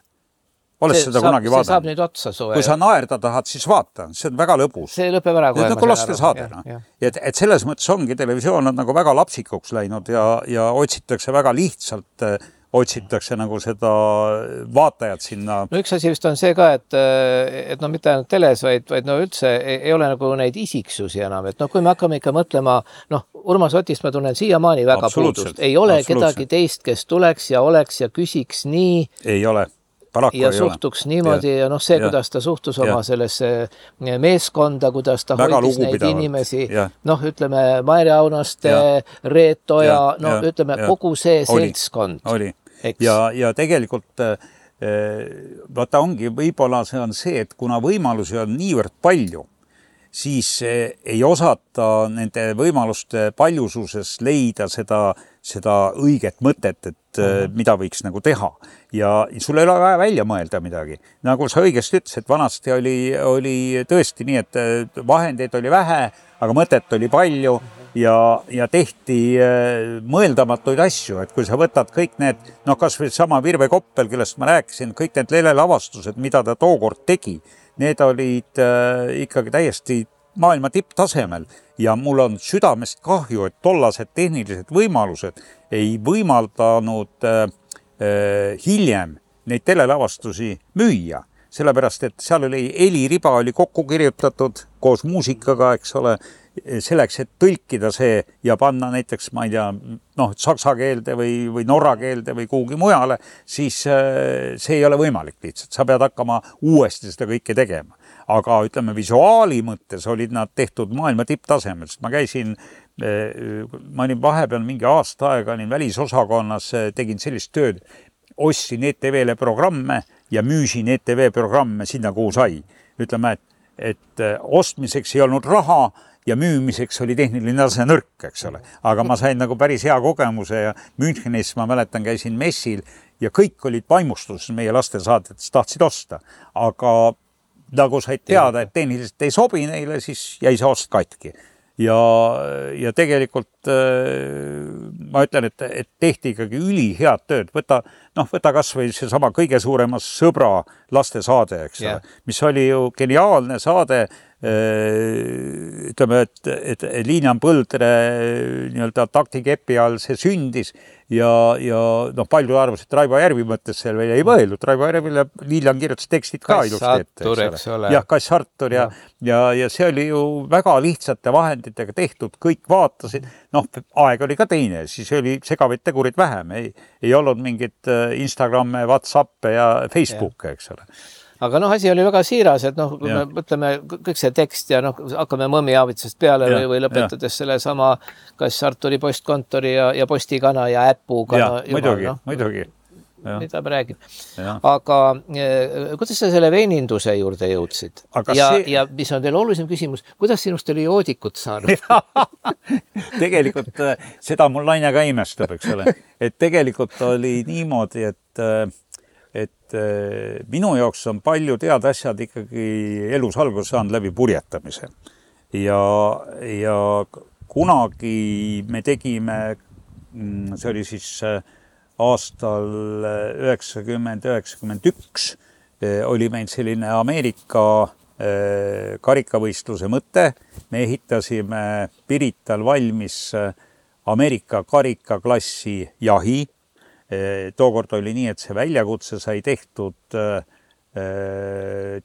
olles see seda saab, kunagi see vaadanud. saab nüüd otsa suve. Kui sa naerda tahad, siis vaata, see on väga lõbus. See lõpeb ära kohe. Nagu laste saadena. Et, et selles mõttes ongi televisioon on nagu väga lapsikuks läinud ja, ja otsitakse väga lihtsalt, otsitakse nagu seda vaatajat sinna. No üks asi vist on see ka, et, et no mitte ainult teles, vaid, vaid no üldse ei, ei ole nagu neid isiksusi enam. Et no kui me hakkame ikka mõtlema, noh, Urmas Otist ma tunnen siiamaani väga puudust. Ei ole kedagi teist, kes tuleks ja oleks ja küsiks nii. Ei ole. Paraku ja suhtuks niimoodi ja, ja noh, see, ja, kuidas ta suhtus ja. Oma sellesse meeskonda, kuidas ta väga hoidis neid inimesi, ja. Noh, ütleme, Maire Aunaste, Reet Oja, no ja. Ütleme, ja. Kogu see oli. Seltskond. Oli. Ja, ja tegelikult vaata ongi, võib-olla see on see, et kuna võimalusi on niivõrd palju, siis ei osata nende võimaluste paljususes leida seda, seda õiget mõtet, et uh-huh. mida võiks nagu teha. Ja sul ei ole vaja välja mõelda midagi. Nagu sa õigesti ütles, et vanasti oli, oli tõesti nii, et vahendeid oli vähe, aga mõtet oli palju ja, ja tehti mõeldamatuid asju. Et kui sa võtad kõik need, noh kas või sama Virve Koppel, kellest ma rääkisin, kõik need lelelavastused, mida ta tookord tegi, need olid äh, ikkagi täiesti maailma tipptasemel ja mul on südamest kahju, et tollased tehnilised võimalused ei võimaldanud äh, äh, hiljem neid telelavastusi müüa. Sellepärast, et seal oli heliriba oli kokku kirjutatud koos muusikaga, eks ole, selleks, et tõlkida see ja panna näiteks, ma ei tea, noh, saksa keelde või, või norra keelde või kuhugi mujale, siis see ei ole võimalik lihtsalt. Sa pead hakkama uuesti seda kõike tegema. Aga ütleme, visuaali mõttes olid nad tehtud maailma tipptasemel. Ma käisin, ma olin vahepeal mingi aasta aega, olin välisosakonnas, tegin sellist tööd, ostsin E T V-le programme ja müüsin E T V programme sinna, kuhu sai. Ütleme, et, et ostmiseks ei olnud raha, ja müümiseks oli tehniline tase nõrk, eks ole. Aga ma sain nagu päris hea kogemuse ja Münchenis, ma mäletan, käisin messil ja kõik olid vaimustuses meie lastesaadetes, tahtsid osta. Aga nagu said teada, et tehniliselt ei sobi neile, siis jäi see ost katki. Ja, ja tegelikult ma ütlen, et, et tehti ikkagi üli head tööd. Võta, noh, võta kas või see sama kõige suuremas sõbra lastesaade, eks ole, yeah. Mis oli ju geniaalne saade, ütleme, et, et Liinan Põldre nii-öelda taktikepi all see sündis ja, ja noh, palju arvas, et Raivo Järvi mõttes seal veel ei mõelnud. Raivo Järvile Liilan kirjutas tekstid ka ilusti ette. Eks ole. Jah, Kass Artur ja, ja, ja see oli ju väga lihtsate vahenditega tehtud, kõik vaatasid. Noh, aeg oli ka teine, siis oli segavaid tegurid vähem. Ei, ei olnud mingit Instagramme, Whatsappe ja Facebooke, eks ole. Aga noh, asi oli väga siiras, et noh, kui ja. Me mõtleme kõik see tekst ja noh, hakkame Mõmmi Aavitsast peale ja, või, või lõpetades ja. Selle sama Kass Arturi postkontori ja, ja postikana ja äpuga. Ja, no, muidugi, no, muidugi. Ja. Mida me räägime. Ja. Aga eh, kuidas sa selle veininduse juurde jõudsid? Aga ja, see... ja mis on teil olulisem küsimus, kuidas sinust oli joodikut saanud? Tegelikult seda mul laine ka imestab, eks ole. Et tegelikult oli niimoodi, et et minu jaoks on palju tead asjad ikkagi elus alguse saanud läbi purjetamise. Ja, ja kunagi me tegime, see oli siis aastal üheksakümmend üheksakümmend üks, oli meil selline Ameerika karikavõistluse mõte. Me ehitasime Pirital valmis Ameerika karikaklassi jahi. Tookord oli nii, et see väljakutse sai tehtud,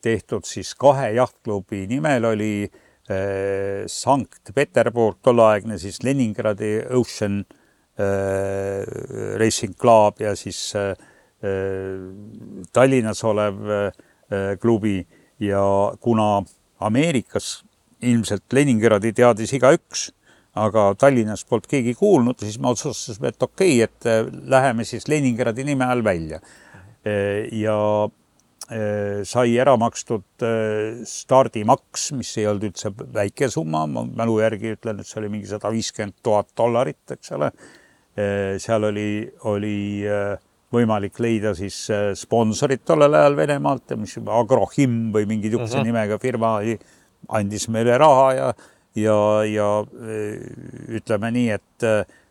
tehtud siis kahe jahtklubi nimel oli Sankt Peterburg, tolleaegne siis Leningradi Ocean Racing Club ja siis Tallinnas olev klubi ja kuna Ameerikas ilmselt Leningradi teadis iga üks, aga Tallinnas polnud keegi kuulnud, siis ma otsustasime, et okei, et läheme siis Leningradi nime all välja. Ja sai ära makstud stardimaks, mis ei olnud üldse väike summa, ma mälu järgi ütlen, et see oli mingi sada viiskümmend tuhat dollarit, eks ole. Seal oli, oli võimalik leida siis sponsorid tollel ajal Venemaalt, mis Agrohim või mingi tükse uh-huh. nimega firma andis meile raha ja Ja, ja ütleme nii, et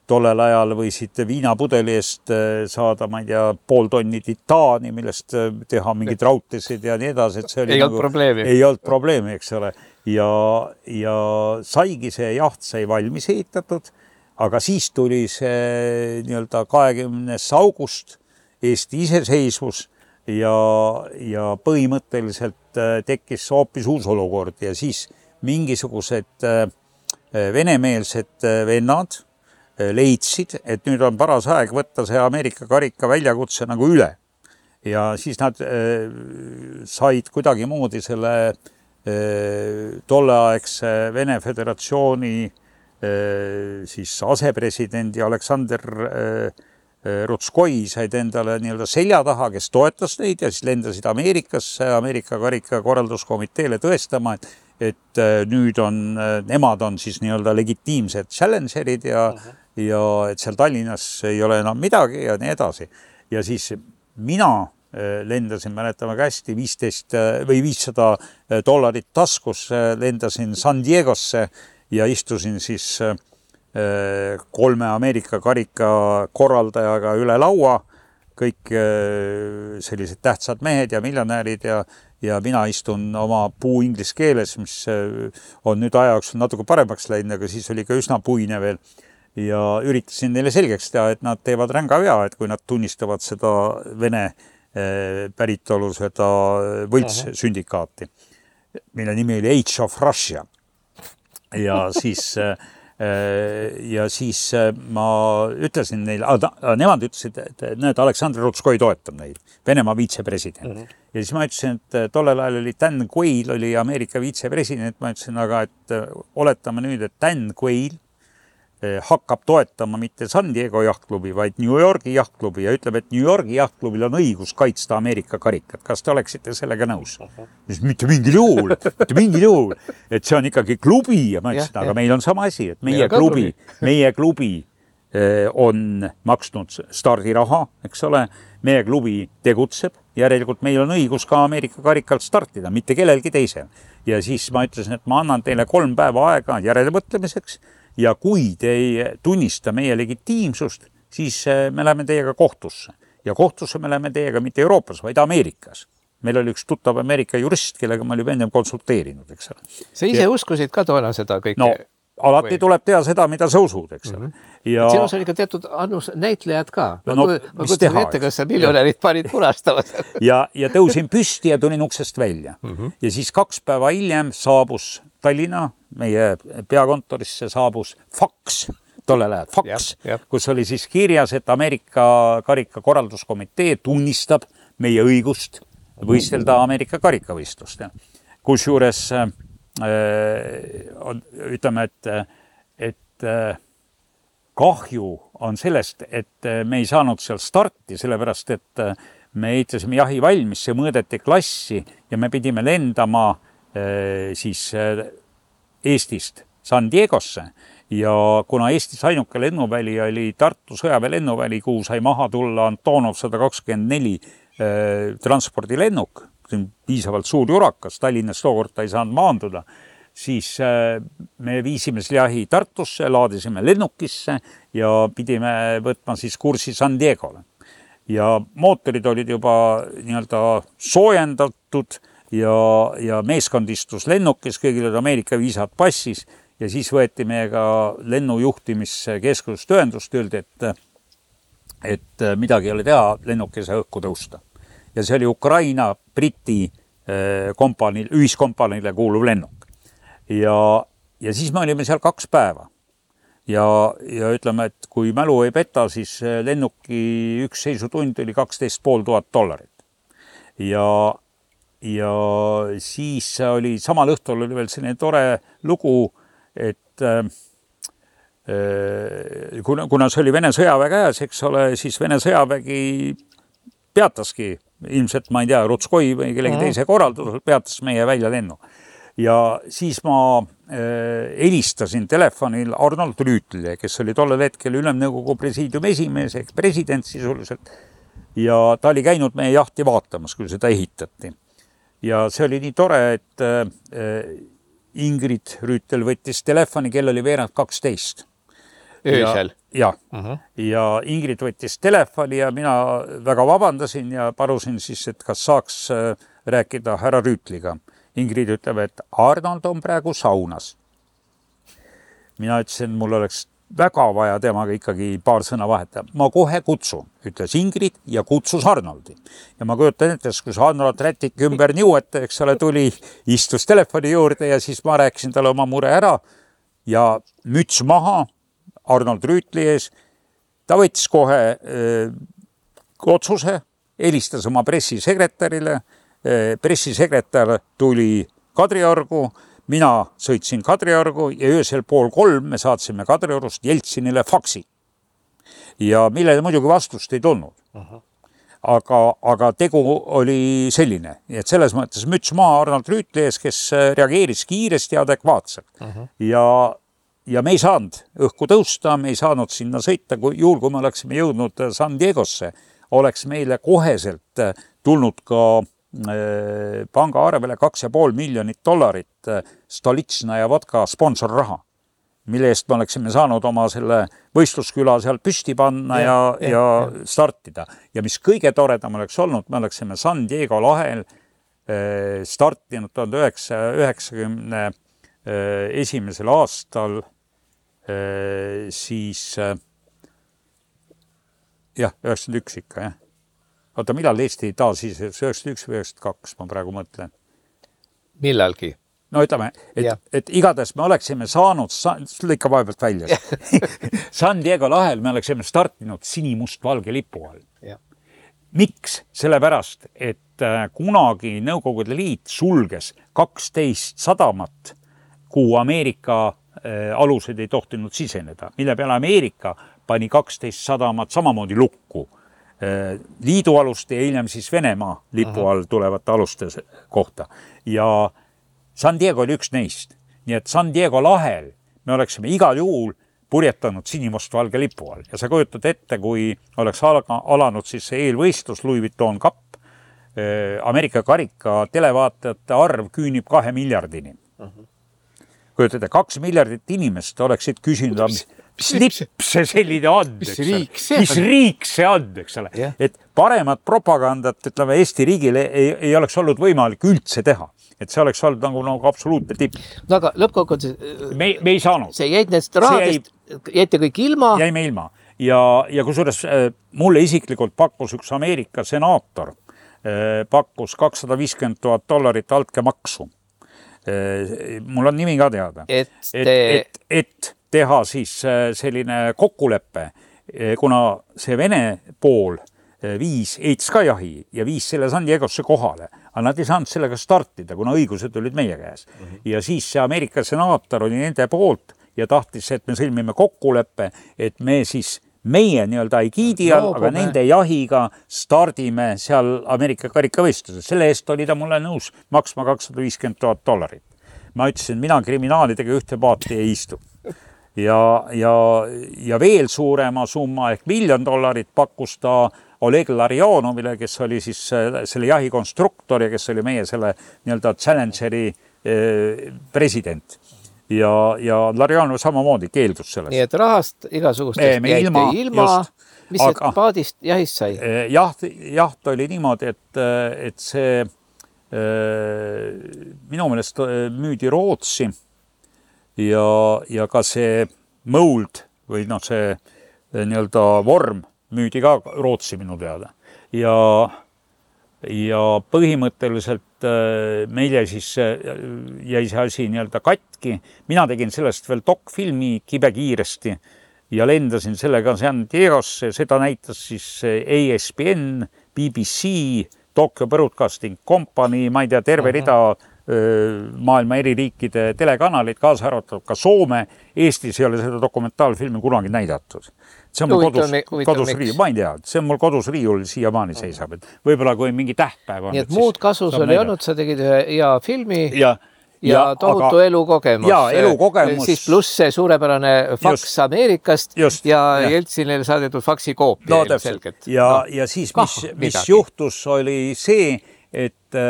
tollel ajal võisid viinapudeli eest saada, ma ei tea, pool tonni titaani, millest teha mingid raudtesid ja nii edasi, et see oli ei nagu, olnud probleemi. Ei olnud probleemi, eks ole. Ja, ja saigi see jaht sai valmis ehitatud, aga siis tuli see nii-öelda kahekümnes august Eesti iseseisvus ja, ja põhimõtteliselt tekkis hoopis uus olukord ja siis mingisugused venemeelsed vennad leidsid, et nüüd on paras aeg võtta see Ameerika karika väljakutse nagu üle. Ja siis nad äh, said kuidagi moodi selle äh, tolleaegse Vene Föderatsiooni äh, siis asepresidendi Aleksander äh, Rutskoi said endale nii-öelda selja taha, kes toetas neid ja siis lendasid Ameerikasse, Ameerika karika korralduskomiteele tõestama, et et nüüd on, nemad on siis nii-öelda legitiimsed challengerid ja, uh-huh. ja et seal Tallinnas ei ole enam midagi ja nii edasi. Ja siis mina lendasin, mäletame hästi, viisteist või viissada dollarit taskus, lendasin San Diegosse ja istusin siis kolme Ameerika karika korraldajaga üle laua, kõik sellised tähtsad mehed ja miljonäärid ja ja mina istun oma puu inglise keeles, mis on nüüd ajaks natuke paremaks läinud, aga siis oli ka üsna puine veel ja üritasin neile selgeks teha, et nad teevad ränga vea, et kui nad tunnistavad seda Vene päritolu seda võltssündikaati, mille nimi oli Age of Russia. Ja siis ja siis ma ütlesin neile, nemad ütlesid, et näed, Aleksander Rutskoi toetab neid, Venemaa viitsepresident. Mm-hmm. Ja siis ma ütlesin, et tollel ajal oli Dan Quayle, oli Ameerika viitsepresident, ma ütlesin, aga et oletame nüüd, et Dan Quayle hakkab toetama mitte San Diego jahtklubi, vaid New Yorgi jahtklubi ja ütleb, et New Yorgi jahtklubil on õigus kaitsta Ameerika karikat. Kas te oleksite sellega nõus? Siis mitte mingil juhul, mitte mingil juhul, et see on ikkagi klubi ja ma ütlesin, aga meil on sama asi, et meie klubi, meie klubi on maksnud stardiraha, eks ole, meie klubi tegutseb, järelikult meil on õigus ka Ameerika karikalt startida, mitte kellelgi teisel. Ja siis ma ütlesin, et ma annan teile kolm päeva aega järelemõtlemiseks ja kui te ei tunnista meie legitiimsust, siis me läheme teiega kohtusse. Ja kohtusse me läheme teiega mitte Euroopas, vaid Ameerikas. Meil oli üks tuttav Ameerika jurist, kellega ma olin ennem konsulteerinud, eks ole. Sa ise ja... uskusid ka toona seda kõike? No, alati või... tuleb teha seda, mida sa usud, eks ole. Mm-hmm. Ja... Sinus oli ka teatud annus näitlejad ka. No, ma no, kutsun ette, kas sa miljonärid panid punastavad. ja, ja tõusin püsti ja tulin uksest välja. Mm-hmm. Ja siis kaks päeva hiljem saabus Tallinna, meie peakontorisse saabus faks, tollel ajal faks, jab, jab. Kus oli siis kirjas, et Ameerika karika korralduskomitee tunnistab meie õigust võistelda Ameerika karikavõistlust. Kus juures äh, on, ütleme, et, et äh, kahju on sellest, et me ei saanud seal starti, sellepärast, et me ehitasime jahi valmis, see mõõdeti klassi ja me pidime lendama siis Eestist San Diegosse ja kuna Eestis ainuke lennuväli oli Tartu sõjaväe lennuväli, kuhu sai maha tulla Antonov sada kakskümmend neli eh, transpordilennuk, see on piisavalt suur jurakas, Tallinnas tookord ta ei saanud maanduda, siis eh, me viisime selle jahi Tartusse, laadisime lennukisse ja pidime võtma siis kursi San Diegole. Ja mootorid olid juba nii-öelda soojendatud ja, ja meeskond istus lennukis, kõigil oli Ameerika viisad passis ja siis võeti meiega lennujuhtimiskeskusest ühendust, öeldi, et, et midagi ei ole teha, lennukise õhku tõusta. Ja see oli Ukraina Briti kompaniil, ühiskompaniile kuuluv lennuk. Ja, ja siis me olime seal kaks päeva. Ja, ja ütleme, et kui mälu ei peta, siis lennuki üks seisutund oli kaksteist pool tuhat dollarit. Ja Ja siis oli samal õhtul oli veel selline tore lugu, et äh, kuna, kuna see oli Vene sõjaväe käes, eks ole, siis Vene sõjavägi peataski, ilmselt ma ei tea, Rutskoi või kellegi teise korraldusel peatas meie välja lennu. Ja siis ma äh, helistasin telefonil Arnold Rüütlile, kes oli tollel hetkel Ülemnõukogu presiidiumi esimees, ehk president sisuliselt. Ja ta oli käinud meie jahti vaatamas, kui seda ehitati. Ja see oli nii tore, et äh, Ingrid Rüütel võttis telefoni, kell oli veerand kaksteist. Öösel? ja, uh-huh. ja Ingrid võttis telefoni ja mina väga vabandasin ja palusin siis, et kas saaks rääkida härra Rüütliga. Ingrid ütleb, et Arnold on praegu saunas. Mina ütlesin, mul oleks väga vaja temaga ikkagi paar sõna vahetada. Ma kohe kutsun, ütles Ingrid ja kutsus Arnoldi. Ja ma kujutan ette, kus Arnold rätik ümber niuete, eks ole, tuli, istus telefoni juurde ja siis ma rääkisin talle oma mure ära ja müts maha Arnold Rüütli ees. Ta võttis kohe öö, otsuse, helistas oma pressisekretärile. Pressisekretär tuli Kadriorgu, mina sõitsin Kadriorgu ja öösel pool kolm me saatsime Kadriorust Jeltsinile faksi. Ja millele muidugi vastust ei tulnud. Aha. Aga, aga tegu oli selline. Et selles mõttes müts maha Arnold Rüütli ees, kes reageeris kiiresti ja adekvaatselt. Aha. Ja, ja me ei saanud õhku tõusta, me ei saanud sinna sõita, kui juhul kui me oleksime jõudnud San Diegosse, oleks meile koheselt tulnud ka panga arvele kaks ja pool miljonit dollarit Stolitsna ja vodka sponsorraha, mille eest me oleksime saanud oma selle võistlusküla seal püsti panna ja, ja, ja, ja startida. Ja mis kõige toredam oleks olnud, me oleksime San Diego lahel startinud tuhande üheksasaja üheksakümne esimesel aastal siis jah, üheksakümmend üks ikka, jah. Oota, millal Eesti taas siis üheksakümmend üks või üheksakümmend kaks, ma praegu mõtlen. Millalgi? No ütleme, et, et igatahes me oleksime saanud, lõika vaevalt välja, San Diego lahel me oleksime startinud sinimust-valge lipu all. Ja. Miks? Sellepärast, et kunagi Nõukogude Liit sulges kaksteist sadamat, kuhu Ameerika alused ei tohtinud siseneda, mille peale Ameerika pani kaksteist sadamat samamoodi lukku. Liidu aluste ja hiljem siis Venemaa lipu all tulevate aluste kohta. Ja San Diego oli üks neist. Nii et San Diego lahel me oleksime igal juhul purjetanud sinimustvalge lipu all. Ja sa kujutad ette, kui oleks alanud siis see eelvõistlus Louis Vuitton Cup, Ameerika karika televaatajate arv küünib kahe miljardini. Uh-huh. Kujutad, kaks miljardit inimest oleksid küsinud, mis, mis lipp see selline on, mis riik see, mis riik see on, eks ole. Yeah. Et paremat propagandat, ütleme, Eesti riigile ei, ei oleks olnud võimalik üldse teha. Et see oleks olnud nagu, nagu absoluutne tipp. No aga lõppkokkuvõttes me, me ei saanud. See jäid nendest rahadest, jäite kõik ilma. Jäime ilma. Ja, ja kusjuures mulle isiklikult pakkus üks Ameerika senaator, pakkus kakssada viiskümmend tuhat dollarit altkäemaksu. Mul on nimi ka teada. Et, et, et, et teha siis selline kokkulepe, kuna see Vene pool viis Eits ka jahi ja viis selle San Diegosse kohale. Aga nad ei saanud sellega startida, kuna õigused olid meie käes. Mm-hmm. Ja siis see Ameerika senaator oli nende poolt ja tahtis, et me sõlmime kokkuleppe, et me siis meie nii-öelda ei kiidi all, aga nende jahiga stardime seal Ameerika karikavõistluses. Selle eest oli ta mulle nõus maksma kakssada viiskümmend tuhat dollarit. Ma ütlesin, mina kriminaalidega ühte paati ei istu. Ja, ja, ja veel suurema summa ehk miljon dollarit pakkus ta Oleg Larionovile, kes oli siis selle jahikonstruktor ja kes oli meie selle nii-öelda Challengeri president. Ja, ja Larionov samamoodi keeldus sellest. Nii et rahast igasugustest jäite ilma, ilma mis aga, et paadist jahist sai? Jaht, jaht oli niimoodi, et, et see minu meelest müüdi Rootsi ja, ja ka see mold või noh, see nii-öelda vorm müüdi ka Rootsi minu teada. Ja, ja põhimõtteliselt meile siis jäi see asi nii-öelda katki. Mina tegin sellest veel dokfilmi kibe kiiresti ja lendasin sellega San Diegosse. Seda näitas siis A S B N, B B C, Tokyo Broadcasting Company, ma ei tea, terve rida maailma eri riikide telekanalid, kaasa arvatud ka Soome. Eestis ei ole seda dokumentaalfilmi kunagi näidatud. See on mul kodus, kodus riiul, ma ei tea, see on mul kodus riiul siiamaani seisab, et võib-olla kui mingi tähtpäev on. Nii et muud kasus oli olnud, sa tegid ühe hea filmi ja, ja, ja tohutu aga, elukogemus. Ja, elukogemus. Siis pluss see suurepärane faks just, Ameerikast just, ja, ja Jeltsinile saadetud faksi koopia. No, selgelt. Ja, no, ja siis, mis, mis juhtus, oli see, et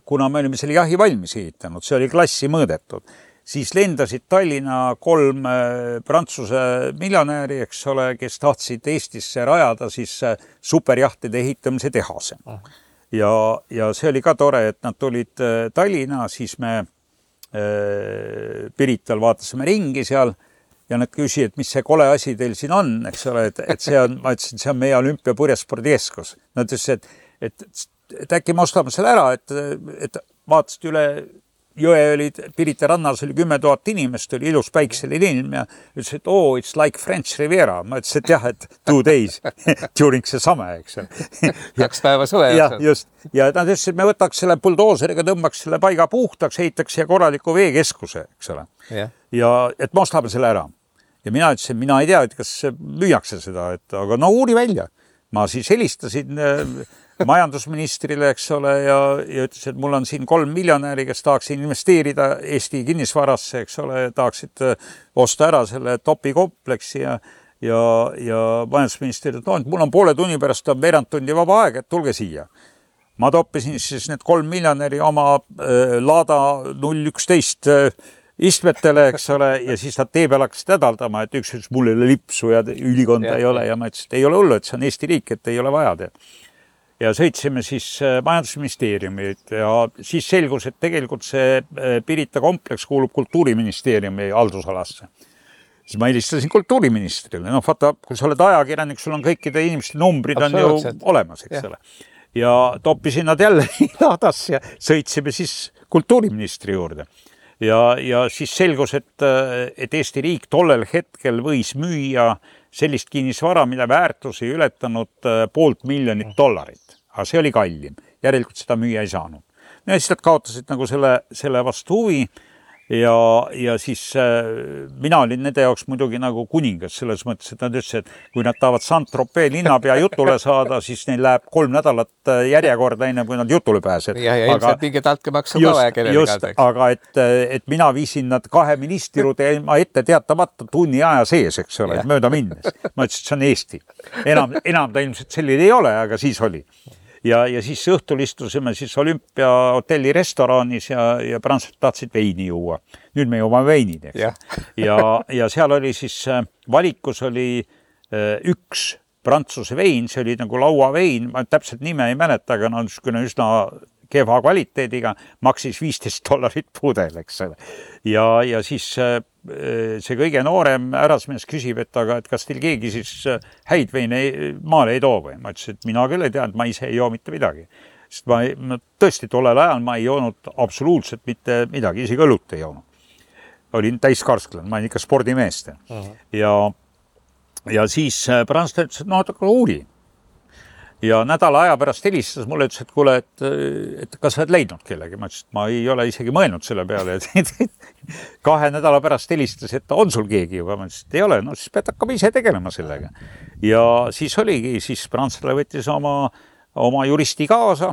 kuna me olime selle jahi valmis ehitanud, see oli klassi mõõdetud. siis lendasid Tallinna kolm prantsuse miljonääri, eks ole, kes tahtsid Eestisse rajada siis superjahtide ehitamise tehase. Ja, ja see oli ka tore, et nad tulid Tallinna, siis me äh, Pirital vaatasime ringi seal ja nad küsisid, et mis see kole asi teil siin on, eks ole, et, et see on, ma ütlesin, see on meie Olümpia purjespordikeskus. Nad ütlesid, et, et, et äkki me ostame selle ära, et, et vaatasid üle jõe olid, Pirita rannas oli kümme tuhat inimest, oli ilus päikseline ilm ja ütles, et oh, it's like French Riviera. Ma ütlesin, et jah, et two days during see same, eks. Kaks päeva suve. Ja, just. Ja nad ütlesid, et me võtaks selle buldooseriga, tõmbaks selle paiga puhtaks, heitaks ja korraliku veekeskuse, eks ole. Ja. ja et me ostame selle ära. Ja mina ütlesin, mina ei tea, et kas müüakse seda, et aga no uuri välja. Ma siis helistasin majandusministrile, eks ole, ja, ja ütles, et mul on siin kolm miljonäri, kes tahaks investeerida Eesti kinnisvarasse, eks ole, tahaksid osta ära selle topi kompleksi ja, ja, ja majandusminister, et no, et mul on poole tunni pärast on veerand tundi vaba aeg, et tulge siia. Ma toppisin siis need kolm miljonäri oma äh, Lada null üksteist äh, istmetele, eks ole, ja siis nad tee peal hakkasid hädaldama, et üks ütles, mul ei ole lipsu ja ülikonda ja, ei ole ja ma ütlesin, et ei ole hullu, et see on Eesti riik, et ei ole vaja teha. Ja sõitsime siis majandusministeeriumi ja siis selgus, et tegelikult see Pirita kompleks kuulub kultuuriministeeriumi haldusalasse. Siis ma helistasin kultuuriministrile. No vaata, kui sa oled ajakirjanik, sul on kõikide inimeste numbrid on ju olemas, eks ole. Ja toppisin nad jälle ladas ja sõitsime siis kultuuriministri juurde. Ja, ja siis selgus, et, et Eesti riik tollel hetkel võis müüa sellist kinnisvara, mida väärtus ei ületanud poolt miljonit dollarit. Aga see oli kallim. Järelikult seda müüa ei saanud. Ja siis nad kaotasid nagu selle, selle vastu huvi ja, ja siis äh, mina olin nende jaoks muidugi nagu kuningas selles mõttes, et nad ütlesid, et kui nad tahavad Saint-Tropez linnapea jutule saada, siis neil läheb kolm nädalat järjekorda enne, kui nad jutule pääsed. Ja, ja ilmselt mingi talkemaksu ka vaja kellele just, aga et, et mina viisin nad kahe ministrirude ma ette teatamata tunni aja sees, eks ole, mööda minnes. Ma ütlesin, et see on Eesti. Enam, enam ta ilmselt selline ei ole, aga siis oli. Ja, ja siis õhtul istusime siis Olümpia hotelli restoraanis ja, ja prantslased tahtsid veini juua. Nüüd me jõuame veini, eks. Ja. ja, ja seal oli siis, valikus oli üks prantsuse vein, see oli nagu lauavein, ma täpselt nime ei mäleta, aga on üsna kehva kvaliteediga, maksis viisteist dollarit pudel, eks ole. Ja, ja siis see kõige noorem ärasmees küsib, et aga et kas teil keegi siis häid veine maale ei too või? Ma ütlesin, et mina küll ei tea, et ma ise ei joo mitte midagi. Sest ma, ma tõesti tollel ajal ma ei joonud absoluutselt mitte midagi, isegi õlut ei joonud. Olin täiskarsklan, ma olin ikka spordimeest. Uh-huh. Ja, ja siis prantslased ütles, et no, aga uuri. Ja nädala aja pärast helistas mulle, ütles, et kuule, et, et kas sa oled leidnud kellegi? Ma ütles, et ma ei ole isegi mõelnud selle peale. Kahe nädala pärast helistas, et on sul keegi juba? Ma ütles, et ei ole, no siis pead hakkama ise tegelema sellega. Ja siis oligi, siis prantslane võttis oma, oma juristi kaasa,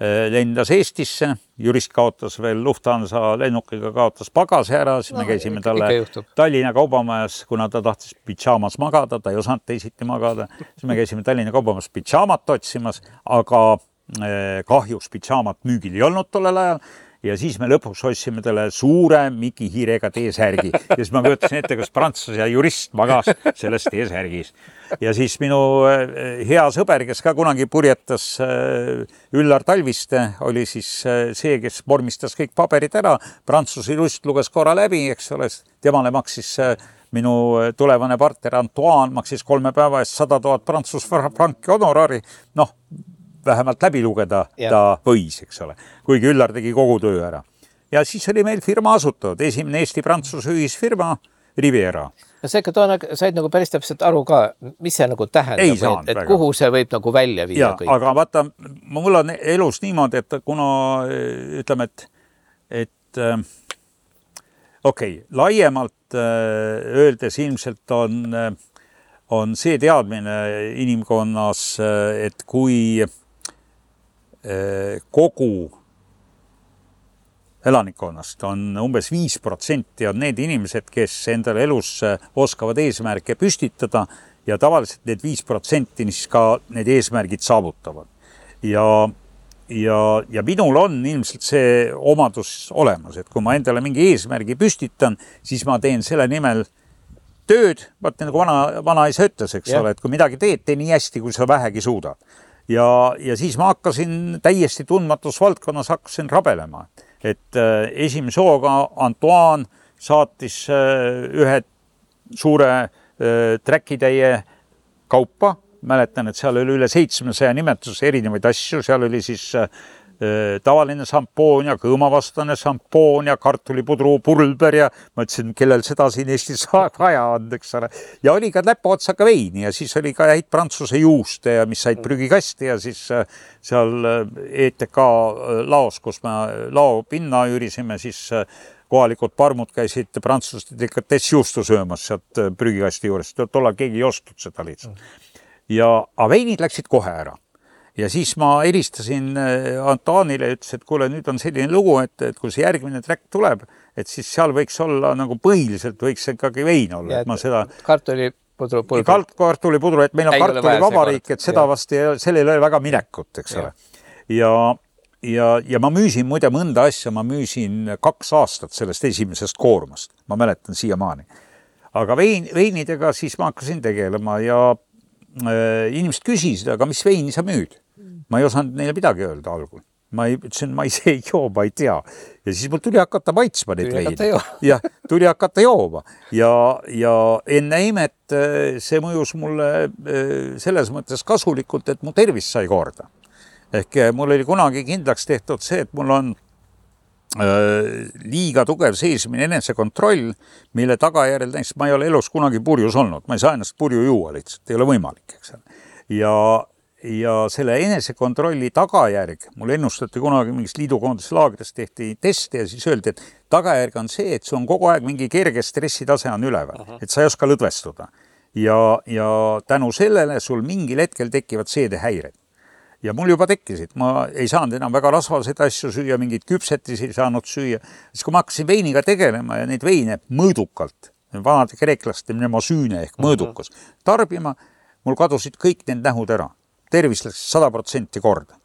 lendas Eestisse, jurist kaotas veel Lufthansa lennukiga, kaotas pagase ära, siis me no, käisime talle Tallinna kaubamajas, kuna ta tahtis pidžaamas magada, ta ei osanud teisiti magada, siis me käisime Tallinna kaubamajas pidžaamat otsimas, aga kahjuks pidžaamat müügil ei olnud tollel ajal. Ja siis me lõpuks otsime talle suure Miki Hiirega teesärgi. Ja siis ma võtasin ette, kas prantslase ja jurist magas selles teesärgis. Ja siis minu hea sõber, kes ka kunagi purjetas Üllar Talviste, oli siis see, kes vormistas kõik paberid ära. Prantsuse jurist luges korra läbi, eks ole, temale maksis minu tulevane partner Antoine, maksis kolme päeva eest sada tuhat prantsus franki honorari. Noh, vähemalt läbi lugeda ja. Ta võis, eks ole, kuigi Üllar tegi kogu töö ära. Ja siis oli meil firma asutatud, esimene Eesti-Prantsuse ühisfirma Riviera. Ja see, toona said nagu päris täpselt aru ka, mis see nagu tähendab, et, et kuhu see võib nagu välja viia ja, kõik. Aga vaata, mul on elus niimoodi, et kuna ütleme, et, et okei, okay, laiemalt öeldes ilmselt on, on see teadmine inimkonnas, et kui kogu elanikkonnast on umbes viis protsenti on need inimesed, kes endale elus oskavad eesmärke püstitada ja tavaliselt need viis protsenti siis ka need eesmärgid saavutavad. Ja, ja, ja minul on ilmselt see omadus olemas, et kui ma endale mingi eesmärgi püstitan, siis ma teen selle nimel tööd, vaata nagu vana, vana isa ütles, eks yeah. ole, et kui midagi teed, tee nii hästi, kui sa vähegi suudad. Ja, ja siis ma hakkasin täiesti tundmatus valdkonnas hakkasin rabelema. Et äh, esimese hooga Antoine saatis äh, ühe suure äh, träkitäie kaupa. Mäletan, et seal oli üle seitsmesaja nimetuse erinevaid asju. Seal oli siis äh, tavaline sampoon ja kõõmavastane sampoon ja kartulipudru pulber ja ma ütlesin, kellel seda siin Eestis vaja on, eks ole. Ja oli ka näpuotsaga veini ja siis oli ka häid prantsuse juuste ja mis said prügikasti ja siis seal E T K laos, kus me lao pinna üürisime, siis kohalikud parmud käisid prantsuste delikatessjuustu söömas sealt prügikasti juures. Tollal keegi ei ostud seda lihtsalt. Ja veinid läksid kohe ära. Ja siis ma helistasin Antoinile ja ütles, et kuule, nüüd on selline lugu, et, et kui see järgmine track tuleb, et siis seal võiks olla nagu põhiliselt võiks ikkagi vein olla. Ja, et ma seda... Kartulipudru pulber. Kart, kartulipudru, et meil on kartulivabariik, et seda vast sellel oli väga minekut, eks ole. Ja, ja, ja ma müüsin muide mõnda asja, ma müüsin kaks aastat sellest esimesest koormast. Ma mäletan siiamaani. Aga vein, veinidega siis ma hakkasin tegelema ja inimesed küsisid, aga mis veini sa müüd? Ma ei osanud neile midagi öelda algul. Ma ei, ütlesin, ma ei see joo, ma ei tea. Ja siis mul tuli hakata maitsma neid veini. Ja tuli hakata jooma. Ja, ja enne imet see mõjus mulle selles mõttes kasulikult, et mu tervis sai korda. Ehk mul oli kunagi kindlaks tehtud see, et mul on liiga tugev seesmine enesekontroll, mille tagajärjel näiteks ma ei ole elus kunagi purjus olnud. Ma ei saa ennast purju juua lihtsalt, ei ole võimalik. Eks. Ja, ja selle enesekontrolli tagajärg, mul ennustati kunagi mingis liidukoonduslaagrides tehti teste ja siis öeldi, et tagajärg on see, et see on kogu aeg mingi kerge stressitase on üleval, uh-huh. et sa ei oska lõdvestuda. Ja, ja tänu sellele sul mingil hetkel tekivad seedehäired. Ja mul juba tekkisid, ma ei saanud enam väga rasvaseid asju süüa, mingid küpsetisi ei saanud süüa. Siis kui ma hakkasin veiniga tegelema ja neid veine mõõdukalt, vanade kreeklaste mnemosüüne ehk mõõdukus, tarbima, mul kadusid kõik need nähud ära. Tervis läks sada protsenti korda.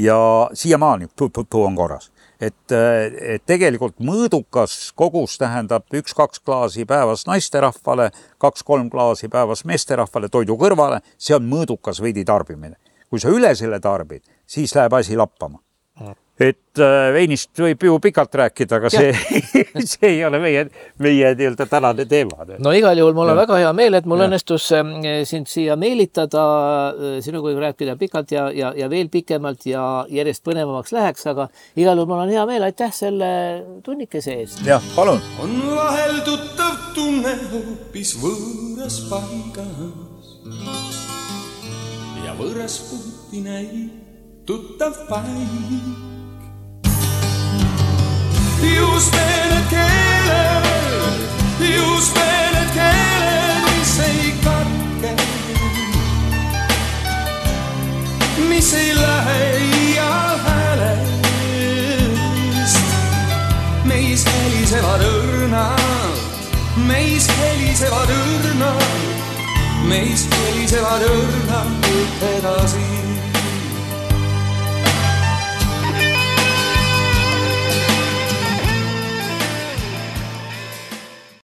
Ja siiamaani tu-tu-tu on korras. Et, et tegelikult mõõdukas kogus tähendab üks-kaks klaasi päevas naisterahvale, kaks-kolm klaasi päevas meesterahvale toidu kõrvale, see on mõõdukas veidi tarbimine. Kui sa üle selle tarbid, siis läheb asi lappama. Et veinist võib ju pikalt rääkida, aga see, see ei ole meie, meie nii-öelda tänane teema. No igal juhul mul on ja. väga hea meel, et mul ja. õnnestus sind siia meelitada, sinuga rääkida pikalt ja, ja, ja veel pikemalt ja järjest põnevamaks läheks, aga igal juhul mul on hea meel, aitäh selle tunnikese eest. Jah, palun. On vahel tuttav tunne hoopis võõras paigas. Ja võõras puhti näib tuttav paik. Just need keeled, just need keeled, mis ei katke, mis ei lähe ial häälest. Meis helisevad õrnad, meis helisevad õrnad, meis helisevad õrnad edasi.